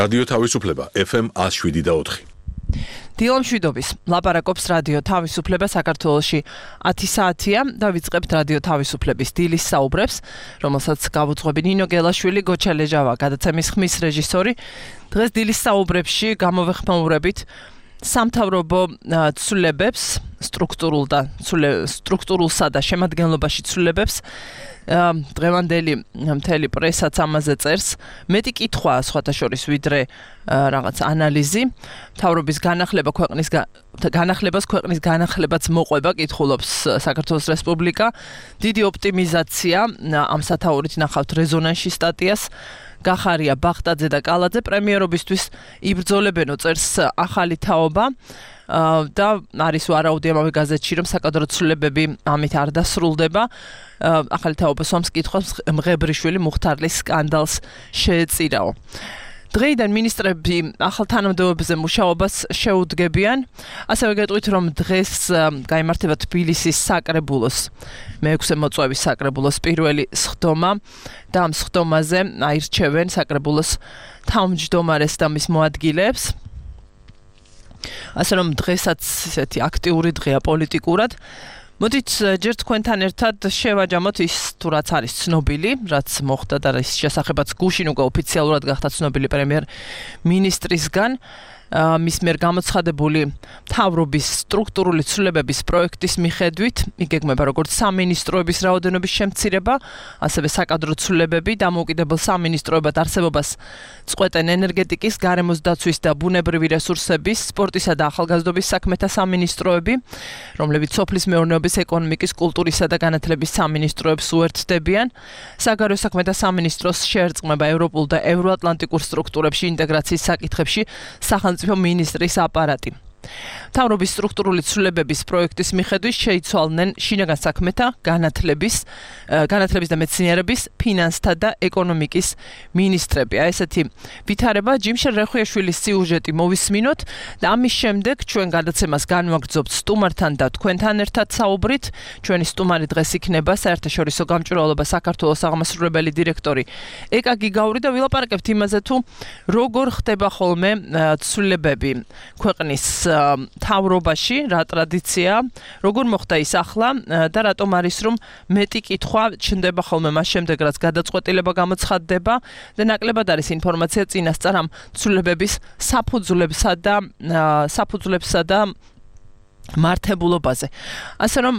რადიო თავისუფლება FM 107.4. დილამშვიდობის ლაპარაკობს რადიო თავისუფლება საქართველოში 10 საათია და ვიწყებთ რადიო თავისუფლების დილის საუბრებს, რომელსაც გავუძღვები ნინო გელაშვილი, გოჩა ლეჟავა, გადაცემის ხმის რეჟისორი. დღეს დილის საუბრებში გამოვეხმაურებით სამთავრობო ცვლილებებს, სტრუქტურულსა და შემადგენლობაში ცვლილებებს. დღევანდელი მთელი პრესაც ამაზე წერს. მეტი კითხვა სხვათა შორის ვიდრე რაღაც ანალიზი. მთავრობის განახლებას ქვეყნის განახლებაც მოყვება, კითხულობს საქართველოს რესპუბლიკა. დიდი ოპტიმიზაცია, ამ სათაურით ნახავთ რეზონანსში სტატიას. გახარია ბახტაძე და კალაძე პრემიერობისთვის იბრძოლებენო, წერს ახალი თაობა. და არის ვარაუდი ამავე გაზეთში, რომ საკადრო ცვლილებები ამით არ დასრულდება. ახალი თაობა სვამს კითხვას მღებრიშვილი მუხთარლის სკანდალს შეეწირაო. დღეიდან მინისტრები ახალ თანამდებობებზე მუშაობას შეუდგებიან. ასევე გეტყვით, რომ დღეს გაიმართება თბილისის საკრებულოს მე-6 მოწვევის საკრებულოს პირველი სხდომა და ამ სხდომაზე აირჩევენ საკრებულოს თავმჯდომარეს და მის მოადგილეებს. ასე რომ დღესაც ისეთი აქტიური დღეა პოლიტიკურად. მოდით ჯერ თქვენთან ერთად შევაჯამოთ ის თუ რაც არის ცნობილი, რაც მოხდა და რის შესახებაც გუშინ უკვე ოფიციალურად გახდა ცნობილი პრემიერ-მინისტრისგან. მის მიერ გამოცხადებული მთავრობის სტრუქტურული ცვლილებების პროექტის მიხედვით იგეგმება როგორც სამინისტროების რაოდენობის შემცირება, ასევე საკადრო ცვლილებები, დამოუკიდებელ სამინისტროებად არსებობას წყვეტენ ენერგეტიკის, გარემოს დაცვის და ბუნებრივი რესურსების, სპორტისა და ახალგაზრდობის საქმეთა სამინისტროები, რომლებიც სოფლის მეურნეობის, ეკონომიკის, კულტურისა და განათლების სამინისტროებს უერთდებიან. საგარეო საქმეთა სამინისტროს შეერწყმება ევროპულ და ევროატლანტიკურ სტრუქტურებში ინტეგრაციის საკითხებში სახელმწიფო მინისტრის აპარატი. მთავრობის სტრუქტურული ცვლილებების პროექტის მიხედვით შეიცვალნენ შინაგან საქმეთა, განათლების და მეცნიერების, ფინანსთა და ეკონომიკის მინისტრები. ესეთი ვითარება ჯიმშელ რეხუიაშვილის სიუჟეტი მოვისმინოთ და ამის შემდეგ ჩვენ გადაცემას განვაგრძობთ სტუმართან და თქვენთან ერთად საუბრით. ჩვენი სტუმარი დღეს იქნება საერთაშორისო გამჭვირვალობა საქართველოს აღმასრულებელი დირექტორი ეკა გიგაური და ვილაპარაკებთ იმაზე თუ როგორ ხდება ხოლმე ცვლილებები ქვეყნის მთავრობაში, რა ტრადიცია, როგორ მოხდა ის ახლა და რატომ არის რომ მეტი კითხვა ჩნდება ხოლმე მას შემდეგ რაც გადაწყვეტილება გამოცხადდება და ნაკლებად არის ინფორმაცია წინასწარ ამ ცვლილებების საფუძვლებსა და მართებულობაზე. ასე რომ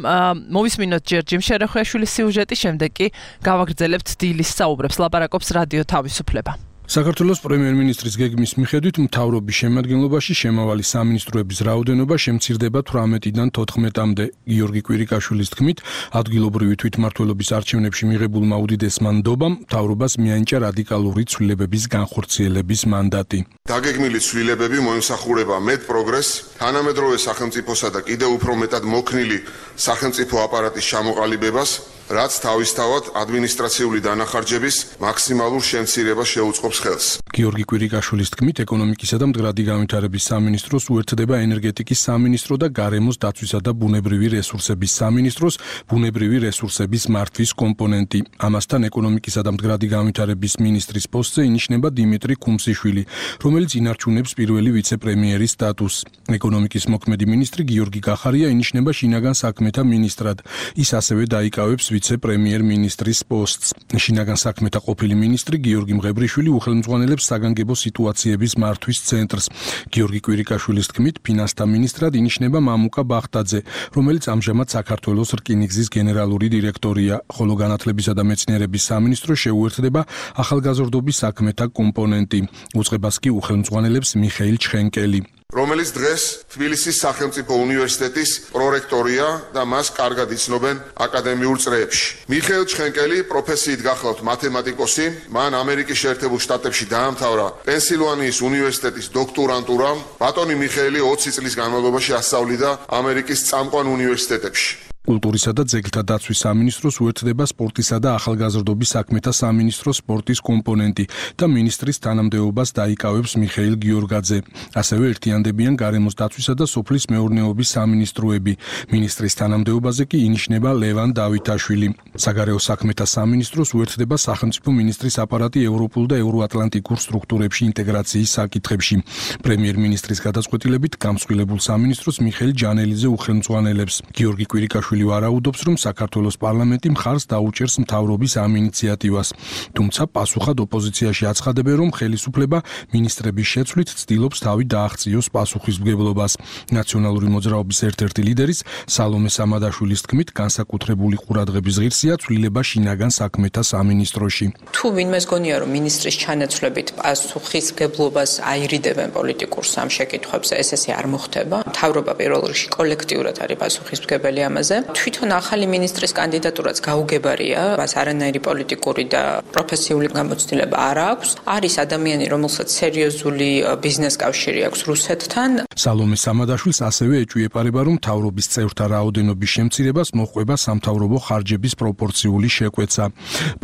მოვისმინოთ ჯერ ჯიმშელ რეხუიაშვილის სიუჟეტი, შემდეგ კი გავაგრძელებთ დილის საუბრებს. ლაპარაკობს რადიო თავისუფლება. საქართველოს პრემიერ-მინისტრის გეგმის მიხედვით მთავრობის შემადგენლობაში შემავალი სამინისტროების რაოდენობა შემცირდება 18-დან 14-მდე. გიორგი კვირიკაშვილის თქმით, ადგილობრივი თვითმმართველობის არჩევნებში მიღებულმა უდიდესმა ნდობამ მთავრობას მიანიჭა რადიკალური ცვლილებების განხორციელების მანდატი. დაგეგმილი ცვლილებები მოემსახურება მეტ პროგრესს, თანამედროვე სახელმწიფოსა და კიდევ უფრო მეტად მოქნილი სახელმწიფო აპარატის ჩამოყალიბებას, რაც თავისთავად ადმინისტრაციული დანახარჯების მაქსიმალურ შემცირებას შეუწყობს ხელს. გიორგი კვირიკაშვილის თქმით, ეკონომიკისა და მდგრადი განვითარების სამინისტროს უერთდება ენერგეტიკის სამინისტრო და გარემოს დაცვისა და ბუნებრივი რესურსების სამინისტროს ბუნებრივი რესურსების მართვის კომპონენტი. ამასთან ეკონომიკისა და მდგრადი განვითარების მინისტრის პოსტზე ინიშნება დიმიტრი ქუმსიშვილი, რომელიც ინარჩუნებს პირველი ვიცე-პრემიერის სტატუსს. ეკონომიკის მოქმედი მინისტრი გიორგი გახარია ინიშნება შინაგან საქმეთა მინისტრად. ის ასევე დაიკავებს ვიცე-პრემიერ-მინისტრის პოსტს. შინაგან საქმეთა ყოფილი მინისტრი გიორგი მღებრიშვილი უხელმძღვანელებს საგანგებო სიტუაციების მართვის ცენტრს. გიორგი კვირიკაშვილის თქმით, ფინანსთა მინისტრად ინიშნება მამუკა ბახტაძე, რომელიც ამჟამად საქართველოს რკინიგზის გენერალური დირექტორია, ხოლო განათლებისა და მეცნიერების სამინისტრო შეუერთდება ახალგაზრდობის საქმეთა კომპონენტი. უწყებას კი უხელმძღვანელებს მიხეილ ჩხენკელი, რომელიც დღეს თბილისის სახელმწიფო უნივერსიტეტის პრორექტორია და მას კარგად იცნობენ აკადემიურ წრეებში. მიხეილ ჩხენკელი პროფესიით გახლავთ მათემატიკოსი, მან ამერიკის შეერთებულ შტატებში დაამთავრა პენსილვანიის უნივერსიტეტის დოქტორანტურა. ბატონი მიხეილი 20 წლის განმავლობაში ასწავლიდა ამერიკის წამყვან უნივერსიტეტებში. კულტურისა და ძეგლთა დაცვის სამინისტროს უერთდება სპორტისა და ახალგაზრდობის საქმეთა სამინისტროს სპორტის კომპონენტი და მინისტრის თანამდებობას დაიკავებს მიხეილ გიორგაძე. ასევე ერთიანდებიან გარემოს დაცვისა და სოფლის მეურნეობის სამინისტროები. მინისტრის თანამდებობაზე კი ინიშნება ლევან დავითაშვილი. საგარეო საქმეთა სამინისტროს უერთდება სახელმწიფო მინისტრის აპარატი ევროპულ და ევროატლანტიკურ სტრუქტურებში ინტეგრაციის საკითხებში. პრემიერ-მინისტრის გადაწყვეტილებით გამსხვილებულ სამინისტროს მიხეილ ჯანელიძე უხელმძღვანელებს. გიორგი კვირიკაშვილი ვარაუდობს, რომ საქართველოს პარლამენტი მხარს დაუჭერს მთავრობის ამ ინიციატივას. თუმცა პასუხად ოპოზიციაში აცხადებენ, რომ ხელისუფლება მინისტრების შეცვლით ცდილობს თავი დააღწიოს პასუხისმგებლობას. ნაციონალური მოძრაობის ერთ-ერთი ლიდერის სალომე სამადაშვილის თქმით, განსაკუთრებული ყურადღების ღირსია ცვლილება შინაგან საქმეთა სამინისტროში. თუ ვინმეს გონია, რომ მინისტრის ჩანაცვლებით პასუხისმგებლობას აირიდებენ პოლიტიკურ სამ შეკითხვებზე, ეს ესე არ მოხდება. მთავრობა პირველ რიგში კოლექტიურად არის პასუხისმგებელი ამაზე. თვითონ ახალი მინისტრის კანდიდატურაც გაუგებარია, მას არანაირი პოლიტიკური და პროფესიული გამოცდილება არ აქვს. არის ადამიანი, რომელსაც სერიოზული ბიზნეს კავშირი აქვს რუსეთთან. სალომე სამადაშვილს ასევე ეჭვიეპარება, რომ მთავრობის წევრთა რაოდენობის შემცირებას მოჰყვება სამთავრობო ხარჯების პროპორციული შეკვეცა.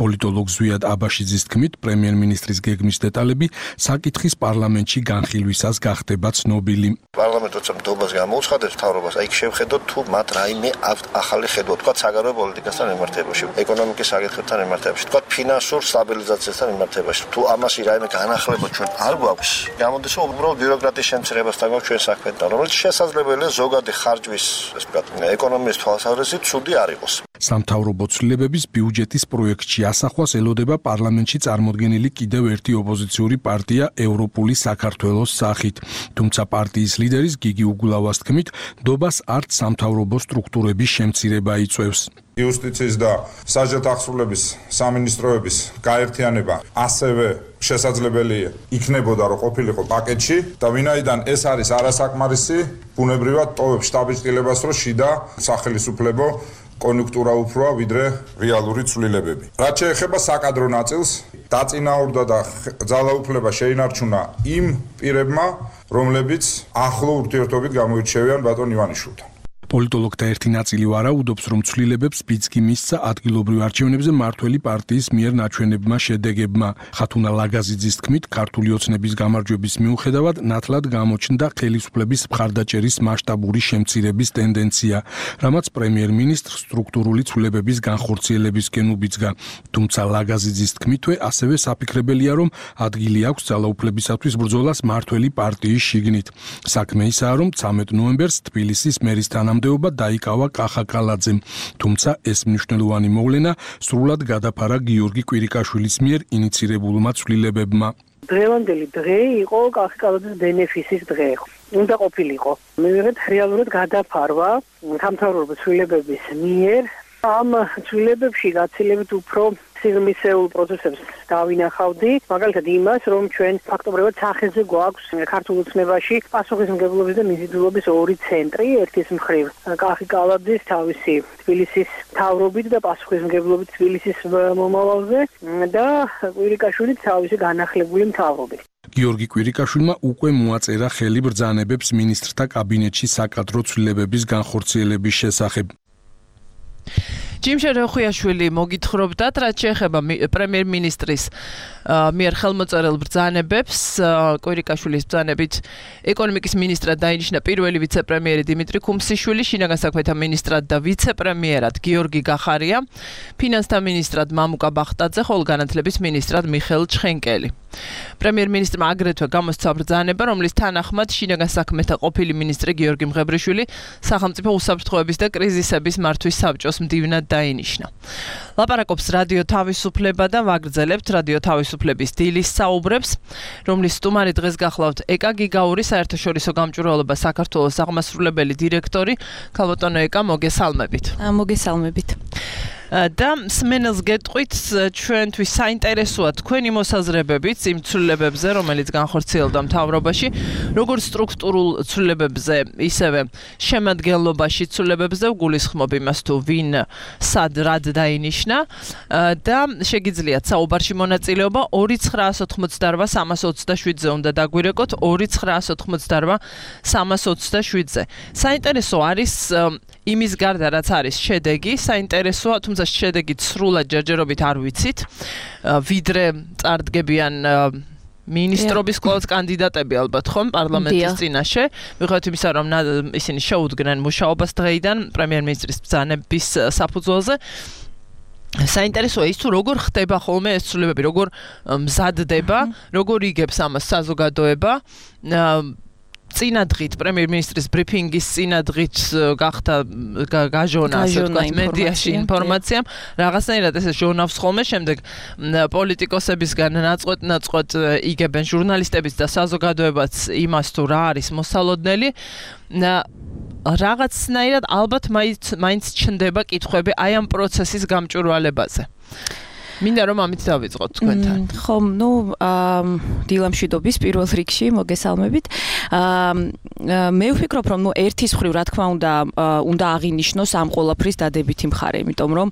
პოლიტოლოგ ზვიად აბაშიძის თქმით, პრემიერ-მინისტრის გეგმის დეტალები საკითხის პარლამენტში განხილვისას გახდება ცნობილი. პარლამენტი როცა მდობას გამოუცხადებს მთავრობას, აი შევხედოთ თუ მათ რაიმე ახალი ხედვა, თქვა საგარეო პოლიტიკასთან მიმართებაში, ეკონომიკის საკითხებთან მიმართებაში, თქვა ფინანსურ სტაბილიზაციასთან მიმართებაში. თუ ამაში რაიმე განახლება ჩვენ არ გვაქვს, გამოდის რომ უბრალოდ ბიუროკრატიის შემცირებასთან გვაქვს ჩვენ საქმეთან, რომელიც შესაძლებელია ზოგადი ხარჯვის, ასე ვთქვათ, ეკონომიის თვალსაზრისით ცუდი არ იყოს. სამთავრობო ცვლილებების ბიუჯეტის პროექტში ასახვას ელოდება პარლამენტში წარმოდგენილი კიდევ ერთი ოპოზიციური პარტია ევროპული საქართველოს სახით. თუმცა პარტიის ლიდერის გიგი უგულავას თქმით, დობას არც სამთავრობო სტრუქტურების შემცირება იწვევს. იუსტიციის და საჯარო აღსრულების სამინისტროების გაერთიანება ასევე შესაძლებელი იქნებოდა, რომ ყოფილიყო პაკეტში და ვინაიდან ეს არის არასაკმარისი, ბუნებრივად ტოვებს შტაბის-ტილებას, რომ შიდა სახელისუფლებო კონიუნქტურა უფროა ვიდრე რეალური ცვლილებები. რაც შეეხება საკადრო ნაწილს, დაწინაურდა და ძალაუფლება შეინარჩუნა იმ პირებმა, რომლებიც ახლო ურთიერთობით გამოირჩევიან ბატონ ივანიშვილთან. პოლიტოლოგთა ერთი ნაწილი ვარაუდობს, რომ ცვლილებებს ბიძგი მისცა ადგილობრივ არჩევნებზე მართველი პარტიის მიერ ნაჩვენებმა შედეგებმა. ხათუნა ლაგაზიძის თქმით, ქართული ოცნების გამარჯვების მიუხედავად ნათლად გამოჩნდა ხელისუფლების მხარდაჭერის მასშტაბური შემცირების ტენდენცია, რამაც პრემიერ-მინისტრს სტრუქტურული ცვლილებების განხორციელებისკენ უბიძგა. თუმცა ლაგაზიძის თქმითვე ასევე საფიქრებელია, რომ ადგილი აქვს ძალაუფლებისათვის ბრძოლას მართველი პარტიის შიგნით. საქმე ისაა, რომ 13 ნოემბერს თბილისის მერის თანამდებობა დაიკავა კახა კალაძემ, თუმცა ეს მნიშვნელოვანი მოვლენა სრულად გადაფარა გიორგი კვირიკაშვილის მიერ ინიცირებულმა ცვლილებებმა. დღევანდელი დღე იყო კახა კალაძის ბენეფისის დღე. უნდა ყოფილიყო. მივიღეთ რეალურად გადაფარვა სამთავრობო ცვლილებების მიერ. ამ ცვლილებებში გაცილებით უფრო სიღრმისეულ პროცესებს დავინახავდი, მაგალითად იმას, რომ ჩვენ ფაქტობრივად სახეზე გვაქვს ქართულ ოცნებაში პასუხისმგებლობის და მიზიდულობის ორი ცენტრი, ერთის მხრივ კახი კალაძის თავისი თბილისის მთავრობით და პასუხისმგებლობით თბილისის მომავალზე და კვირიკაშვილის თავისი განახლებული მთავრობით. გიორგი კვირიკაშვილმა უკვე მოაწერა ხელი ბრძანებებს მინისტრთა კაბინეტში საკადრო ცვლილებების განხორციელების შესახებ. ჯიმშე როხვიაშვილი მოგითხრობდათ, რაც შეეხება პრემიერ-მინისტრის მიერ ხელმოწერილ ბრძანებებს, კვირიკაშვილის ბრძანებით ეკონომიკის მინისტრად დაინიშნა პირველი ვიცე-პრემიერი დიმიტრი ქუმსიშვილი, შინაგან საქმეთა მინისტრად და ვიცე-პრემიერად გიორგი გახარია, ფინანსთა მინისტრად მამუკა ბახტაძე, ხოლო განათლების მინისტრად მიხეილ ჩხენკელი. პრემიერ-მინისტრმა აგრეთვე გამოსცა ბრძანება, რომლის თანახმად შინაგან საქმეთა ყოფილი მინისტრი გიორგი მღებრიშვილი სახელმწიფო უსაფრთხოების და კრიზისების მართვის საბჭოს მდივნად დაინიშნა. ლაპარაკობს რადიო თავისუფლება და ვაგრძელებთ რადიო თავისუფლების დილის საუბრებს, რომლის სტუმარი დღეს გახლავთ ეკა გიგაური საერთაშორისო გამჭვირვალობა საქართველოს აღმასრულებელი დირექტორი. ქალბატონო ეკა, მოგესალმებით. მოგესალმებით. და სმენელს გეტყვით, ჩვენთვის საინტერესოა თქვენი მოსაზრებებით იმ ცვლილებებზე, რომელიც განხორციელდა მთავრობაში, როგორც სტრუქტურულ ცვლილებებზე, ისევე შემადგენლობაში ცვლილებებზე, ვგულისხმობ იმას თუ ვინ სად რად დაინიშნა და შეგიძლიათ საუბარში მონაწილეობა 2988327-ზე უნდა დაგვირეკოთ 2988327-ზე. საინტერესო არის იმის გარდა რაც არის შედეგი, საინტერესოა, თუმცა შედეგი სრულად ჯერჯერობით არ ვიცით, ვიდრე წარდგებიან ministrobis კვლავ კანდიდატები ალბათ ხომ პარლამენტის წინაშე ვიღოთ იმისა რომ ისინი შეუდგნენ მუშაობას დღეიდან პრემიერ-მინისტრის ბრძანების საფუძველზე საინტერესოა ის თუ როგორ ხდება ხოლმე ეს ცვლილებები როგორ მზადდება როგორ იგებს ამას საზოგადოება წინადღით პრემიერ-მინისტრის ბრიფინგის წინადღით გახდა გაჟონა ასე ვთქვათ მედიაში ინფორმაციამ რაღაცნაირად ეს ჟონავს ხოლმე შემდეგ პოლიტიკოსებისგან ნაწყვეტ იგებენ ჟურნალისტებიც და საზოგადოებაც იმას თუ რა არის მოსალოდნელი რაღაცნაირად ალბათ მაინც ჩნდება კითხვები აი ამ პროცესის გამჭვირვალებაზე მინდა რომ ამით დავიწყოთ თქვენთან. ხომ, დილამშვიდობის პირველ რიგში მოგესალმებით. მე ვფიქრობ რომ ერთის მხრივ რა თქმა უნდა აღინიშნოს ამ ყველაფრის დადებითი მხარე, იმიტომ რომ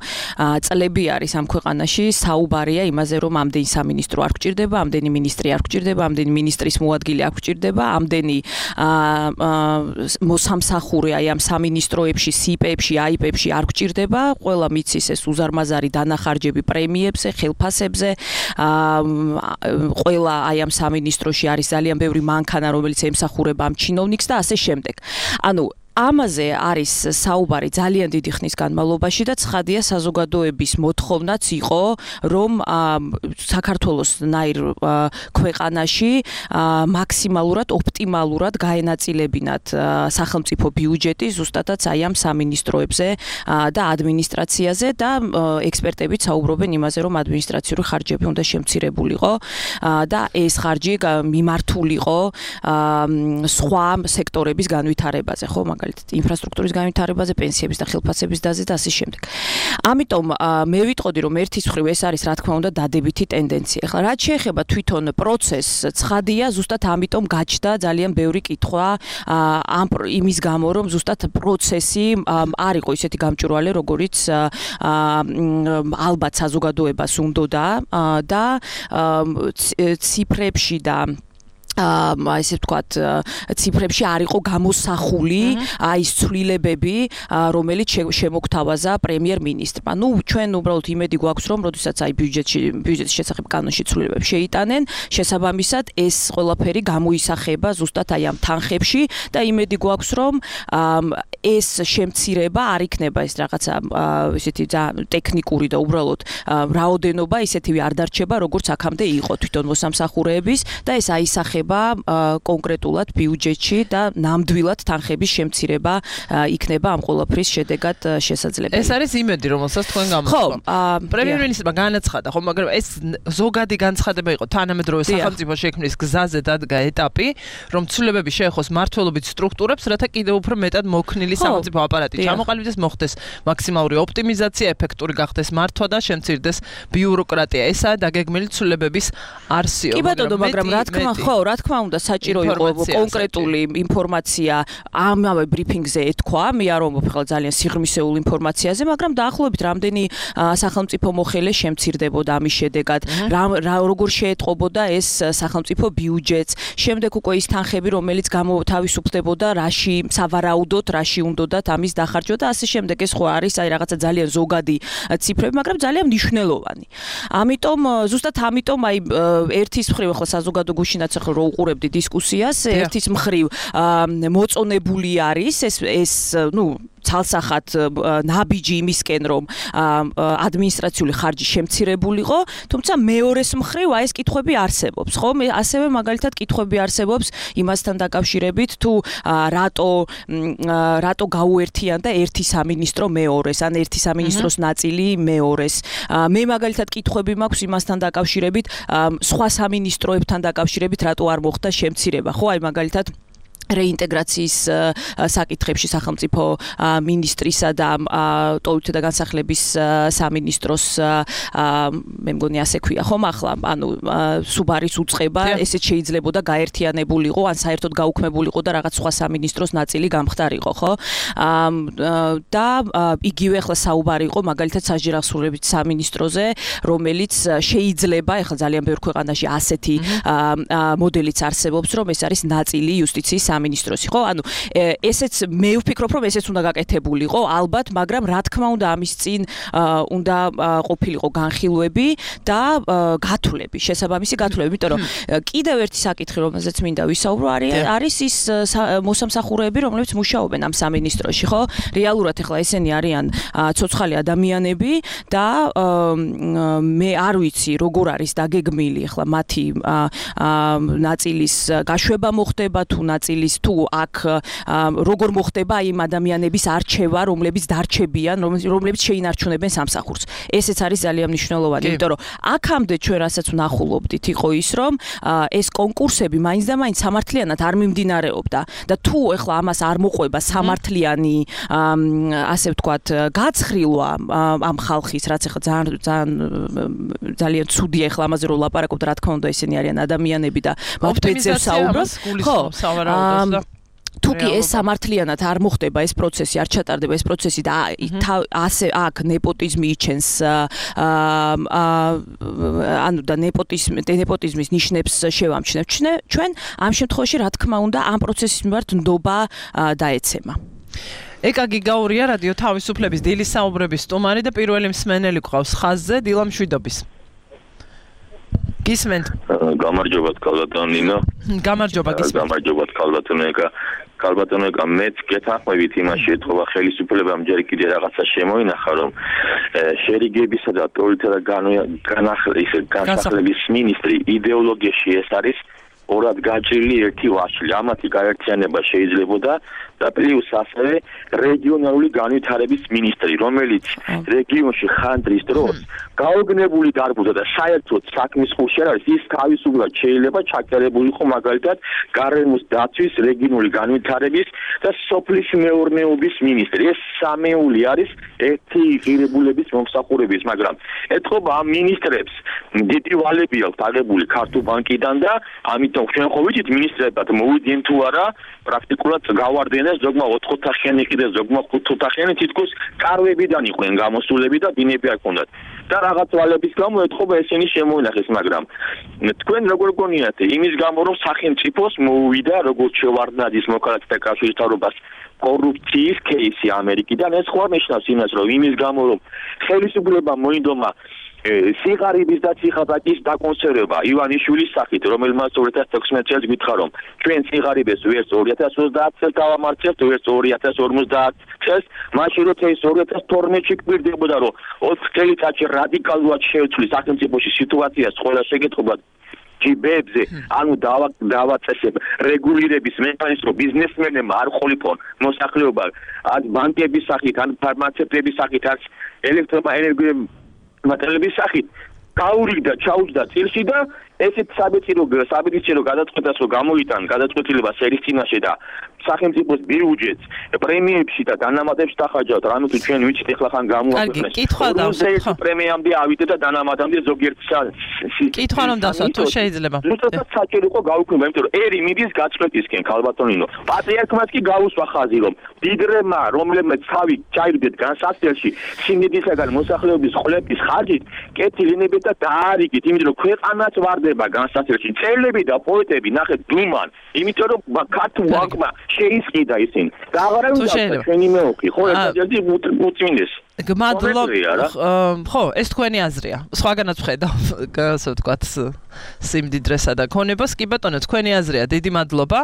წლები არის ამ ქვეყანაში საუბარია იმაზე რომ ამდენი სამინისტრო არ გვჭირდება, ამდენი მინისტრი არ გვჭირდება, ამდენი მინისტრის მოადგილე არ გვჭირდება, ამდენი მოსამსახურე აი ამ სამინისტროებში, სიპებში, აიპებში არ გვჭირდება, ყველა მიცის ეს უზარმაზარი დანახარჯები პრემიებს ხელფასებზე ყველა აი ამ სამინისტროში არის ძალიან ბევრი მანქანა რომელიც ემსახურება ამ ჩინოვნიკს და ასე შემდეგ. ანუ ამაზე არის საუბარი ძალიან დიდი ხნის განმავლობაში და ცხადია საზოგადოების მოთხოვნაც იყო რომ საქართველოს ნაირ ქვეყანაში მაქსიმალურად ოპტიმალურად გაენაწილებინათ სახელმწიფო ბიუჯეტი ზუსტადაც აი ამ სამინისტროებზე და ადმინისტრაციაზე და ექსპერტებიც საუბრობენ იმაზე რომ ადმინისტრაციული ხარჯები უნდა შემცირებულიყო და ეს ხარჯი მიმართულიყო სხვა სექტორების განვითარებაზე ხო მაგალითად ინფრასტრუქტურის განვითარებაზე, პენსიების და ხელფასების დაზზე და ასე შემდეგ. ამიტომ მე ვიტყოდი რომ ერთის მხრივ ეს არის რა თქმა უნდა დადებითი ტენდენცია. ახლა რაც შეეხება თვითონ პროცესს, ცხადია ზუსტად ამიტომ გაჩნდა ძალიან ბევრი კითხვა იმის გამო რომ ზუსტად პროცესი არ იყო ისეთი გამჭვირვალე, როგორიც ალბათ საზოგადოებას უნდოდა და ციფრებში და ასე ვთქვათ, ციფრებში არ იყო გამოსახული აი ეს ცვლილებები, რომელიც შემოგთავაზა პრემიერ-მინისტრმა. ჩვენ უბრალოდ იმედი გვაქვს, რომ როდესაც აი ბიუჯეტის შესახებ კანონში ცვლილებები შეიტანენ, შესაბამისად ეს ყველაფერი გამოისახება ზუსტად აი ამ თანხებში და იმედი გვაქვს, რომ ეს შემცირება არ იქნება ეს რაღაცა ესეთი ტექნიკური და უბრალოდ რაოდენობა ისეთივე არ დარჩება, როგორც აქამდე იყო თვითონ მოსამსახურეების და ეს აისახება კონკრეტულად ბიუჯეტში და ნამდვილად თანხების შემცირება იქნება ამ ყველაფრის შედეგად შესაძლებელი. ეს არის იმედი, რომელსაც თქვენ გამოთქვამთ. პრემიერ-მინისტრმა განაცხადა, ხო, მაგრამ ეს ზოგადი განცხადება იყო თანამედროვე სახელმწიფო შექმნის გზაზე დადგა ეტაპი, რომ ცვლილებები შეეხოს მმართველობით სტრუქტურებს, რათა კიდევ უფრო მეტად მოქნილი სახელმწიფო აპარატი ჩამოყალიბდეს, მოხდეს მაქსიმალური ოპტიმიზაცია, ეფექტური გახდეს მართვა და შემცირდეს ბიუროკრატია. ესაა დაგეგმილი ცვლილებების არსიო. კი ბატონო, მაგრამ რა თქმა უნდა საჭირო იყო კონკრეტული ინფორმაცია ამავე ბრიფინგზე ეთქვა, მე არ ვამბობ ხელ ძალიან სიღრმისეულ ინფორმაციაზე, მაგრამ დაახლოებით რამდენი სახელმწიფო მოხელე შემცირდებოდა ამის შედეგად, როგორ შეეტყობოდა ეს სახელმწიფო ბიუჯეტს, შემდეგ უკვე ის თანხები, რომელიც თავისუფლდებოდა, რაში სავარაუდოდ, რაში უნდათ ამის დახარჯვა და ასე შემდეგ. ეს ხო არის აი რაღაცა ძალიან ზოგადი ციფრები, მაგრამ ძალიან მნიშვნელოვანი. ამიტომ ზუსტად ამიტომ აი ერთის მხრივ ახლა საზოგადო გუშინაც ახლა რო უყურებდი დისკუსიას, ერთის მხრივ მოწონებული არის ეს ცალსახად ნაბიჯი იმისკენ რომ ადმინისტრაციული ხარჯი შემცირებულიყო, თუმცა მეორეს მხრივ აი ეს კითხვები არსებობს, ხო? ასევე მაგალითად კითხვები არსებობს იმასთან დაკავშირებით თუ რატო გაუერთიანდა ერთი სამინისტრო მეორეს, ან ერთი სამინისტროს ნაწილი მეორეს. მე მაგალითად კითხვები მაქვს იმასთან დაკავშირებით, სხვა სამინისტროებთან დაკავშირებით რატო არ მოხდა შემცირება, ხო? აი მაგალითად რეინტეგრაციის საკითხებში სახელმწიფო მინისტრისა და ტოლობითი და განსახლების სამინისტროს მე მგონი ასე ქვია ხომ ახლა ანუ სუბარის უწყება ესეც შეიძლებოდა გაერთიანებულიყო ან საერთოდ გაუქმებულიყო და რაღაც სხვა სამინისტროს ნაწილი გამხდარიყო ხო და იგივე ახლა საუბარი იყო მაგალითად საჯარისხმლების სამინისტროზე რომელიც შეიძლება ახლა ძალიან ბევრ ქვეყანაში ასეთი მოდელიც არსებობს რომ ეს არის ნაწილი იუსტიციის სამინისტროსი, ხო? ანუ ესეც მე ვფიქრობ, რომ ესეც უნდა გაკეთებულიყო, ალბათ, მაგრამ რა თქმა უნდა ამის წინ უნდა ყოფილიყო განხილვები და გათვლები, შესაბამისი გათვლები, იმიტომ რომ კიდევ ერთი საკითხი, რომელზეც მინდა ვისაუბრო, არის ის მოსამსახურეები, რომლებიც მუშაობენ ამ სამინისტროში, ხო? რეალურად ახლა ესენი არიან ცოცხალი ადამიანები და მე არ ვიცი როგორ არის დაგეგმილი ახლა მათი ნაწილის გაშვება მოხდება თუ ნაწილის თუ აქ როგორ მოხდება იმ ადამიანების არჩევა, რომლებიც დარჩებიან, რომლებიც შეინარჩუნებენ სამსახურს. ესეც არის ძალიან მნიშვნელოვანი, იმიტომ რომ აქამდე ჩვენ რასაც ვნახულობდით იყო ის, რომ ეს კონკურსები მაინც და მაინც სამართლიანად არ მიმდინარეობდა და თუ ახლა ამას არ მოყვება სამართლიანი ასე ვთქვათ გაცხრილვა ამ ხალხის, რაც ახლა ძალიან ცუდია ახლა ამაზე რომ ლაპარაკობთ, რა თქმა უნდა ესენი არიან ადამიანები და მათ ბეძებს საუბრობთ. ხო, თუკი ეს სამართლიანად არ მოხდება ეს პროცესი, არ ჩატარდება ეს პროცესი და ასე აქ ნეპოტიზმი იჩენს ანუ და ნეპოტიზმის ნიშნებს შევამჩნევთ ჩვენ, ამ შემთხვევაში რა თქმა უნდა ამ პროცესის მიმართ ნდობა დაეცემა. ეკაგი გაურია რადიო თავისუფლების დილის საუბრების სტუმარი და პირველი მსმენელი გვყავს ხაზზე, დილა მშვიდობის. გისმენთ? გამარჯობათ კალბატონინო. გამარჯობა გისმენთ. გამარჯობათ კალბატონიკა. კალბატონიკა მეც გეთანხმებით იმას შეეთხოვა ხელისუფლებამ ჯერ კიდე რაღაცა შემოინახა რომ შერიგებისა და პოლიტიკა განსახლების მინისტრი იდეოლოგიაში ეს არის ორად გაჭრილი ერთი ვაშლი. ამათი გაერთიანება შეიძლებოდა და პლუს ასევე რეგიონალური განვითარების მინისტრი, რომელიც რეგიონში ხანდრის დროს გაოგნებული დარბუდა და საერთოდ საქმის ხუში არ არის, ის თავისუფლად შეიძლება ჩაკერებულიყო მაგალითად გარემოს დაცვის, რეგიონული განვითარების და სოფლის მეურნეობის მინისტრი. ეს სამეული არის ერთი ღირებულების მომსახურების, მაგრამ ეთყობა ამ მინისტრებს დიდი ვალები აქვს აღებული ქართულ ბანკიდან და ამიტომ ჩვენ ხო ვიცით მინისტრებად მოვიდნენ თუ არა, პრაქტიკულად გავარდნენ ზოგმა 4 ოთახიანი კიდე ზოგმა 5 ოთახიანი თითქოს კარვებიდან იყვნენ გამოსულები და ბინები არ ჰქონდათ. და რაღაც ვალების გამო ეთყობა ესენი შემოინახეს, მაგრამ თქვენ როგორ გონიათ იმის გამო რომ სახელმწიფოს მოუვიდა როგორც შევარდნაძის მოქალაქეთა კავშირის მთავრობას კორუფციის кейსი ამერიკიდან, ეს ხო ნიშნავს იმას რომ იმის გამო რომ ხელისუფლებამ მოინდომა სიღარიბის და ციხაბაკის დაკონსერვება ივანიშვილის სახით, რომელმაც 2016 წელს გითხრა რომ ჩვენ სიღარიბეს ვერც 2030 წელს დავამარცხებთ, ვერც 2050 წელს, მაშინ როცა ეს 2012-ში გვირდებოდა რომ 4 წელიწადში რადიკალურად შეცვლის სახელმწიფოში სიტუაციას ყველა შეკეთებად ჯიბებზე, ანუ დავაწესებ რეგულირების მექანიზმი, ბიზნესმენებმა არ ხოლიფონ მოსახლეობა, ან ბანკების სახით, ან ფარმაცევტების სახით, ან ელექტროენერგია მატერიალების სახით გაურიგდა, ჩაუჯდა წილში და ესეთ საბედისწერო გადაწყვეტას რომ გამოიტან გადაწყვეტილება სერის წინაშე და სახელმწიფოს ბიუჯეტს პრემიებში და დანამატებში დახარჯავთ, რამე თუ ჩვენ ვიცით ახლა ხან გამოაქვეყნეს. კითხვა დავსვათ. პრემიამდე ავიდე და დანამატამდე ზოგიერთ კითხვა რომ დავსვათ, თუ შეიძლება. ზუსტად საჭირო იყო გავუქმება, იმიტომ რომ ერი მიდის გაწყვეტისკენ კალბატონინო. პატრიარქმაც კი გაუსვა ხაზი რომ დიდრემა, რომლებმაც თავი ჩაირგეთ განსაცდელში სიმედისაგან მოსახლეობის ხლების ხარჯით, კეთილინებით და დაარიგით, იმიტომ რომ ქვეყანაც ვარდება განსაცდელში. წერლები და პოეტები ნახეთ დუმან, იმიტომ რომ ქართულ ბანკმა შეისყიდა ისინი. და აღარ უნდა ჩვენი მეოხი, ხო, ერთადერთი უწმინდეს. ხო, ეს თქვენი აზრია. სხვაგანაც ვხედავ, ასე ვთქვათ, სიმდიდრესა და ქონებას. კი ბატონო, თქვენი აზრია. დიდი მადლობა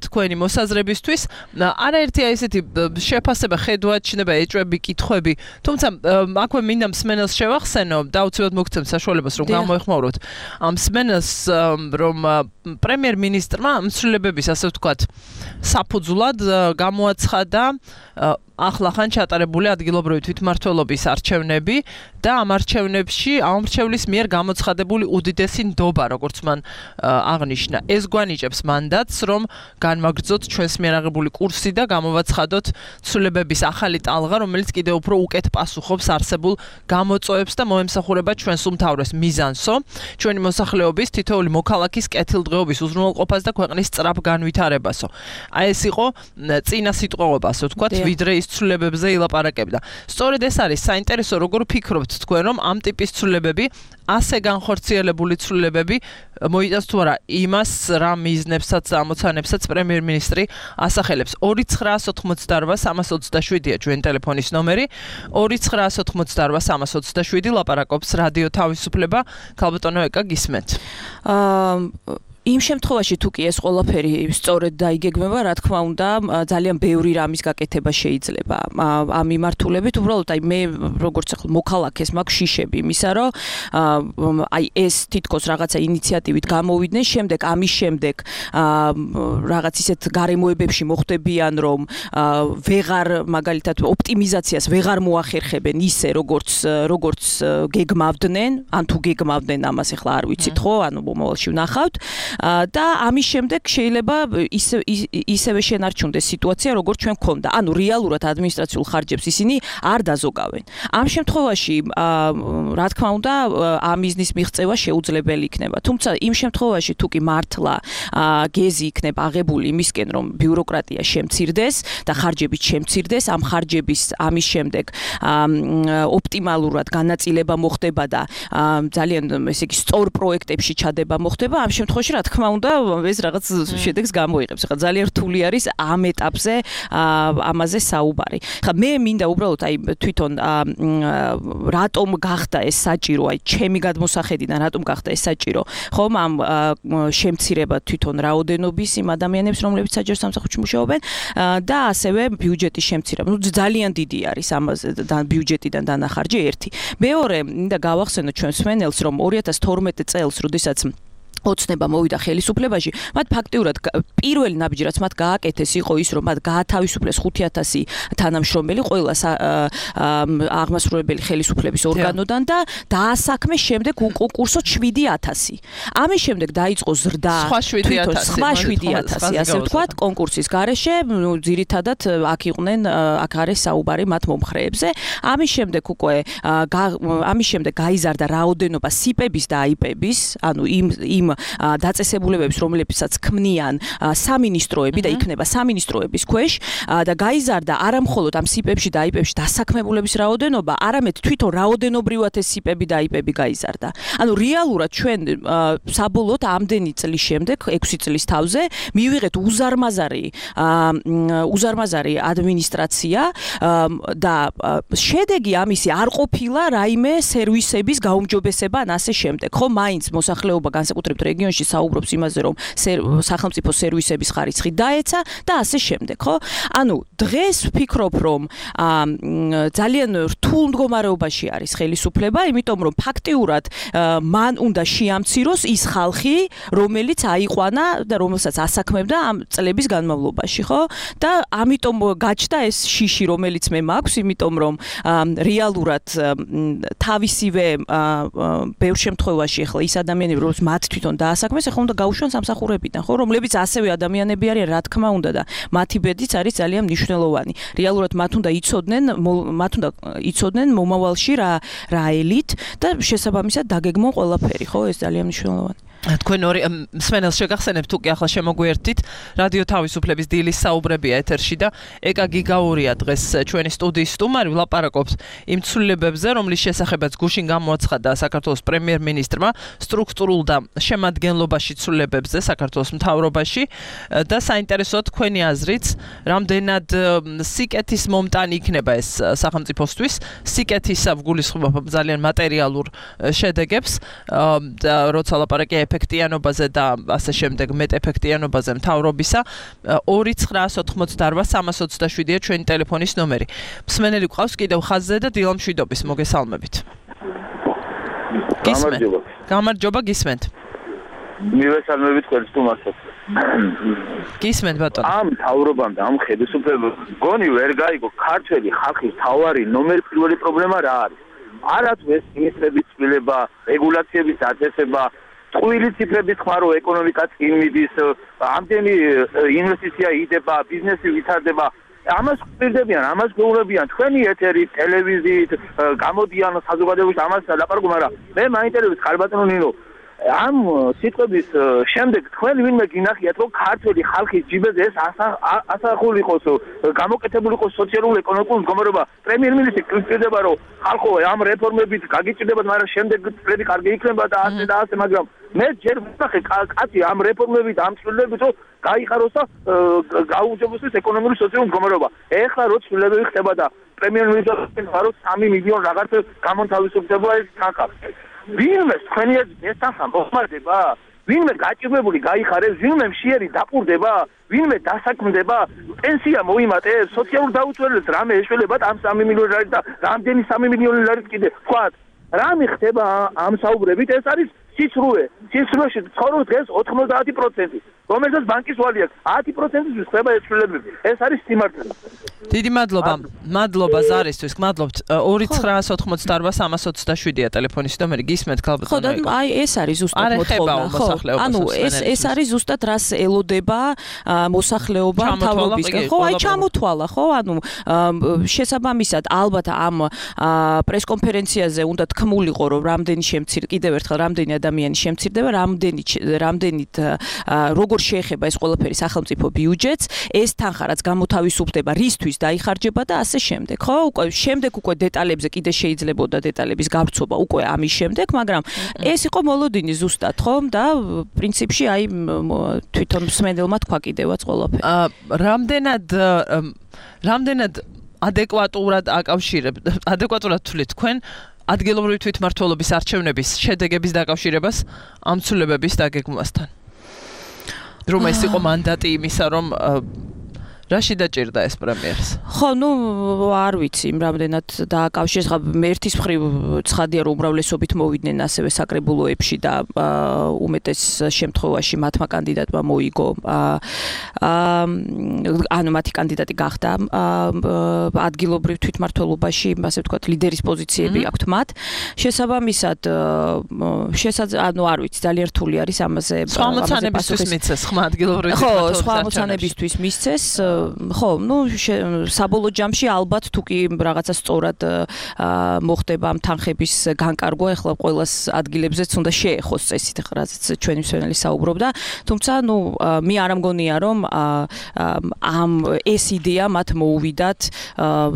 თქვენი მოსაზრებისთვის. არაერთია ესეთი შეფასება, ხედვა, ჩნება, ეჭვები, კითხვები. თუმცა აქვე მინდა მსმენელს შევახსენო და უცებად მოგცემ საშუალებას, რომ გამოეხმაუროთ ამ მსმენელს, რომ პრემიერ-მინისტრმა მსვლელებების, ასე ვთქვათ, საფუძვლად გამოაცხადა ახლახან ჩატარებული ადგილობრივი თვითმმართველობის არჩევნები და ამ არჩევნებში ამომრჩევლის მიერ გამოცხადებული უდიდესი ნდობა, როგორც მან აღნიშნა. ეს გვანიჭებს მანდატს, რომ განვაგრძოთ ჩვენს მიერ აღებული კურსი და გამოვაცხადოთ ცვლილებების ახალი ტალღა, რომელიც კიდევ უფრო უკეთ პასუხობს არსებულ გამოწვევებს და მოემსახურება ჩვენს უმთავრეს მიზანსო, ჩვენი მოსახლეობის თითოეული მოქალაქის კეთილდღეობის უზრუნველყოფას და ქვეყნის სწრაფ განვითარებასო. აი ეს იყო წინა სიტყვაობა, ასე ვთქვათ, ვიდრე ის ცვლილებებზე ილაპარაკებდა. სწორედ ეს არის საინტერესო, როგორ ფიქრობთ თქვენ, რომ ამ ტიპის ცვლილებები, ასე განხორციელებული ცვლილებები მოიტანს თუ არა იმას, რა მიზნებსაც და ამოცანებსაც პრემიერ-მინისტრი ასახელებს. 2988327-ია ჩვენ ტელეფონის ნომერი. 2988327 ლაპარაკობს რადიო თავისუფლება. ქალბატონო ეკა გისმენთ. იმ შემთხვევაში თუ კი ეს ყველაფერი სწორედ დაიგეგმება, რა თქმა უნდა, ძალიან ბევრი რამის გაკეთება შეიძლება. ამ მიმართულებით უბრალოდ მე როგორც ახლა მოქალაქეს მაქვს შიშები იმისა, რომ ეს თითქოს რაღაცა ინიციატივით გამოვიდნენ, შემდეგ ამის შემდეგ რაღაც ისეთ გარემოებებში მოხვდებიან, რომ ვეღარ მაგალითად ოპტიმიზაციას ვეღარ მოახერხებენ ისე როგორც გეგმავდნენ, ან თუ გეგმავდნენ ამას ახლა არ ვიცით ხო, ანუ მომავალში ვნახავთ. და ამის შემდეგ შეიძლება ისევე შენარჩუნდეს სიტუაცია, როგორც ჩვენ გვქონდა. ანუ რეალურად ადმინისტრაციულ ხარჯებს ისინი არ დაზოგავენ. ამ შემთხვევაში, რა თქმა უნდა, ამ მიზნის მიღწევა შეუძლებელი იქნება. თუმცა იმ შემთხვევაში, თუ კი მართლა გეზი იქნება აღებული იმისკენ, რომ ბიუროკრატია შემცირდეს და ხარჯებით შემცირდეს, ამ ხარჯების ამის შემდეგ ოპტიმალურად განაწილება მოხდება და ძალიან ესე იგი სწორ პროექტებში ჩადება მოხდება, ამ შემთხვევაში რა თქმა უნდა ეს რაღაც შედეგს გამოიღებს. ხა ძალიან რთული არის ამ ეტაპზე ამაზე საუბარი. ხა მე მინდა უბრალოდ თვითონ რატომ გახდა ეს საჭირო, ჩემი გადმოსახედიდან რატომ გახდა ეს საჭირო, ხომ ამ შემცირება თვითონ რაოდენობის იმ ადამიანებს, რომლებიც საჯარო სამსახურში მუშაობენ და ასევე ბიუჯეტის შემცირება. ძალიან დიდი არის ამაზე ბიუჯეტიდან დანახარჯი ერთი. მეორე, მინდა გავახსენოთ ჩვენს მსმენელს, რომ 2012 წელს, როდესაც ოცნება მოვიდა ხელისუფლებაში, მათ ფაქტიურად პირველი ნაბიჯი რაც მათ გააკეთეს იყო ის, რომ მათ გაათავისუფლეს 5000 თანამშრომელი ყველა აღმასრულებელი ხელისუფლების ორგანოდან და დაასაქმეს შემდეგ უკურსოდ 7000. ამის შემდეგ დაიწყო ზრდა სხვა 7000, ასე ვთქვათ, კონკურსის გარეშე, ძირითადად აქ იყვნენ, აქ არის საუბარი მათ მომხრეებზე. ამის შემდეგ უკვე გაიზარდა რაოდენობა სიპების და აიპების, ანუ იმ დაწესებულებებს, რომლებსაც ქმნიან სამინისტროები და იქნება სამინისტროების ქვეშ და გაიზარდა არა მხოლოდ ამ სიპებში და აიპებში დასაქმებულების რაოდენობა, არამედ თვითონ რაოდენობრივად ეს სიპები და აიპები გაიზარდა. ანუ რეალურად ჩვენ საბოლოოდ ამდენი წლის შემდეგ, 6 წლის თავზე მივიღეთ უზარმაზარი ადმინისტრაცია და შედეგი ამისი არ ყოფილა რაიმე სერვისების გაუმჯობესება ან ასე შემდეგ. ხო, მაინც მოსახლეობა განსაკუთრებით რეგიონში საუბრობს იმაზე, რომ სახელმწიფო სერვისების ხარისხი დაეცა და ასე შემდეგ, ხო? ანუ დღეს ვფიქრობ, რომ ძალიან რთულ მდგომარეობაში არის ხელისუფლება, იმიტომ რომ ფაქტიურად მან უნდა შეამციროს ის ხალხი, რომელიც აიყვანა და რომელსაც ასაქმებდა ამ წლების განმავლობაში, ხო? და ამიტომ გაჩნდა ეს შიში, რომელიც მე მაქვს, იმიტომ რომ რეალურად თავისივე ბევრ შემთხვევაში ახლა ის ადამიანები, რომლებიც მათ თვითონ დაასაქმეს, ახლა უნდა გაუშვან სამსახურებიდან, ხო, რომლებიც ასევე ადამიანები არიან, რა თქმა უნდა და მათი ბედიც არის ძალიან მნიშვნელოვანი. რეალურად მათ უნდა იცოდნენ მომავალში რა ელით და შესაბამისად დაგეგმონ ყველაფერი, ხო, ეს ძალიან მნიშვნელოვანი. თქვენ ორი მსმენელს შეგახსენებთ, თუ კი ახლა შემოგვიერთდით, რადიო თავისუფლების დილის საუბრებია ეთერში და ეკა გიგაურია დღეს ჩვენი სტუდიის სტუმარი, ვლაპარაკობთ იმ ცვლილებებზე, რომლის შესახებაც გუშინ გამოაცხადა საქართველოს პრემიერ-მინისტრმა, სტრუქტურულ და შემადგენლობაში ცვლილებებზე საქართველოს მთავრობაში და საინტერესოა თქვენი აზრიც, რამდენად სიკეთის მომტანი იქნება ეს სახელმწიფოსთვის, სიკეთისა გულისხმობა ძალიან მატერიალურ შედეგებს და როცა ლაპარაკია ეფექტიანობაზე და ასე შემდეგ მეტ ეფექტიანობაზე მთავრობისა 2988327-ია ჩვენი ტელეფონის ნომერი. მსმენელი გვყავს კიდევ ხაზზე და დილამშვიდობის მოგესალმებით. გამარჯობა, გისმენთ. მივესალმებით თქვენ სტუმარსაც. გისმენთ ბატონო. ამ მთავრობამ და ამ ხელისუფლებამ გონი ვერ გაიგო ქართველი ხალხის თავარი ნომერ პირველი პრობლემა რა არის? არათუ ეს ministrების ცვლილება, რეგულაციების დაწესება, ტყუილი ციფრების ხმარო, ეკონომიკა წინ მიდის, ამდენი ინვესტიცია იდება, ბიზნესი ვითარდება. ამას გვპირდებიან, ამას გვეუბნებიან თქვენი ეთერით, ტელევიზიით, გამოდიან საზოგადოებაში ამას ლაპარაკობ, მაგრამ მე მაინტერესებს ხალბატონო ნინო, ამ სიტყვების შემდეგ თქვენ ვინმე გინახიათ რომ ქართული ხალხის ჯიბეზე ეს ასახული იყოს გამოკეთებული იყოს სოციალურ-ეკონომიკური მდგომარეობა პრემიერ-მინისტრი კრიტიკდება რომ ხალხო ამ რეფორმებით გაგიჭირდებათ მაგრამ შემდეგ წლები კარგი იქნება და ასე მაგრამ მე ჯერ ვთქვი კაცი ამ რეფორმებით ამ ცვლილებებით რომ გაიხაროს და გაუჯობოს ეკონომიკური სოციალური მდგომარეობა ეხლა რო ცვლილებები ხდება და პრემიერ-მინისტრი ვარო 3 მილიონი რაღაც გამონთავისუფლდება ეს თანხა ვინმე თქვენი ეს თანხა მოხმარდება ვინმე გაჭირვებული გაიხარებს ვინმე მშიერი დაპურდება ვინმე დასაქმდება პენსია მოიმატებს სოციალურ დაუცველებს რამე ეშველებათ ამ 3 მილიონი ლარით და რამდენი 3 მილიონი ლარით კიდე ვთქვათ რა მიხდება ამ საუბრებით ეს არის სიცრუეში ცხოვრობს დღეს 90%, რომელსაც ბანკის ვალი აქვს 10%-ის ხდება ეს ცვლილებები. ეს არის სიმართლე. დიდი მადლობა. მადლობა ზარისთვის. გმადლობთ. 2988-327-ია ტელეფონის ნომერი. გისმენთ ქალბატონო. ხო და აი ეს არის ზუსტად მოთხოვნა. ანუ ეს არის ზუსტად რას ელოდება მოსახლეობა თავრობისგან. ხო, აი ჩამოთვალა, ხო? ანუ შესაბამისად ალბათ ამ პრესკონფერენციაზე უნდა თქმულიყო რომ რამდენი კიდევ ერთხელ რამდენი ადამიანი შემცირდება, რამდენით როგორ შეეხება ეს ყველაფერი სახელმწიფო ბიუჯეტს, ეს თანხა რაც გამოთავისუფლდება, რისთვის დაიხარჯება და ასე შემდეგ, ხო? უკვე დეტალებზე კიდე შეიძლებოდა დეტალების გავრცობა უკვე ამის შემდეგ, მაგრამ ეს იყო მოლოდინი ზუსტად, ხო? და პრინციპში აი თვითონ მსმენელმა თქვა კიდევაც ყველაფერი. რამდენად ადეკვატურად თვლით თქვენ ადგილობრივი თვითმმართველობის არჩევნების შედეგების დაკავშირებას ამ ცვლილებების დაგეგმვასთან. რომ ეს იყო მანდატი იმისა, რომ რაში დაჭირდა ეს პრემიერს? ხო, არ ვიცი, რამდენად დააკავშირეს, ხა ერთის მხრივ ცხადია რომ უმრავლესობით მოვიდნენ ასევე საკრებულოებში და უმეტეს შემთხვევაში მათმა კანდიდატმა მოიგო ანუ მათი კანდიდატი გახდა ადგილობრივ თვითმმართველობაში, ასე ვთქვათ, ლიდერის პოზიციები აქვთ მათ. შესაბამისად, ანუ არ ვიცი, ძალიან რთული არის ამაზე. სხვა მოცანებისთვის მიცეს ხმა ადგილობრივ თვითმმართველობის. ხო, სხვა მოცანებისთვის მისცეს. ხო, საბოლოო ჯამში ალბათ თუ კი რაღაცა სწორად მოხდება ამ თანხების განკარგვა, ეხლა ყოველას ადგილებზეც უნდა შეეხოს წესით, რაზეც ჩვენი მსმენელი საუბრობდა. თუმცა, მე არ ამგონია რომ ამ ეს იდეა მათ მოუვიდათ,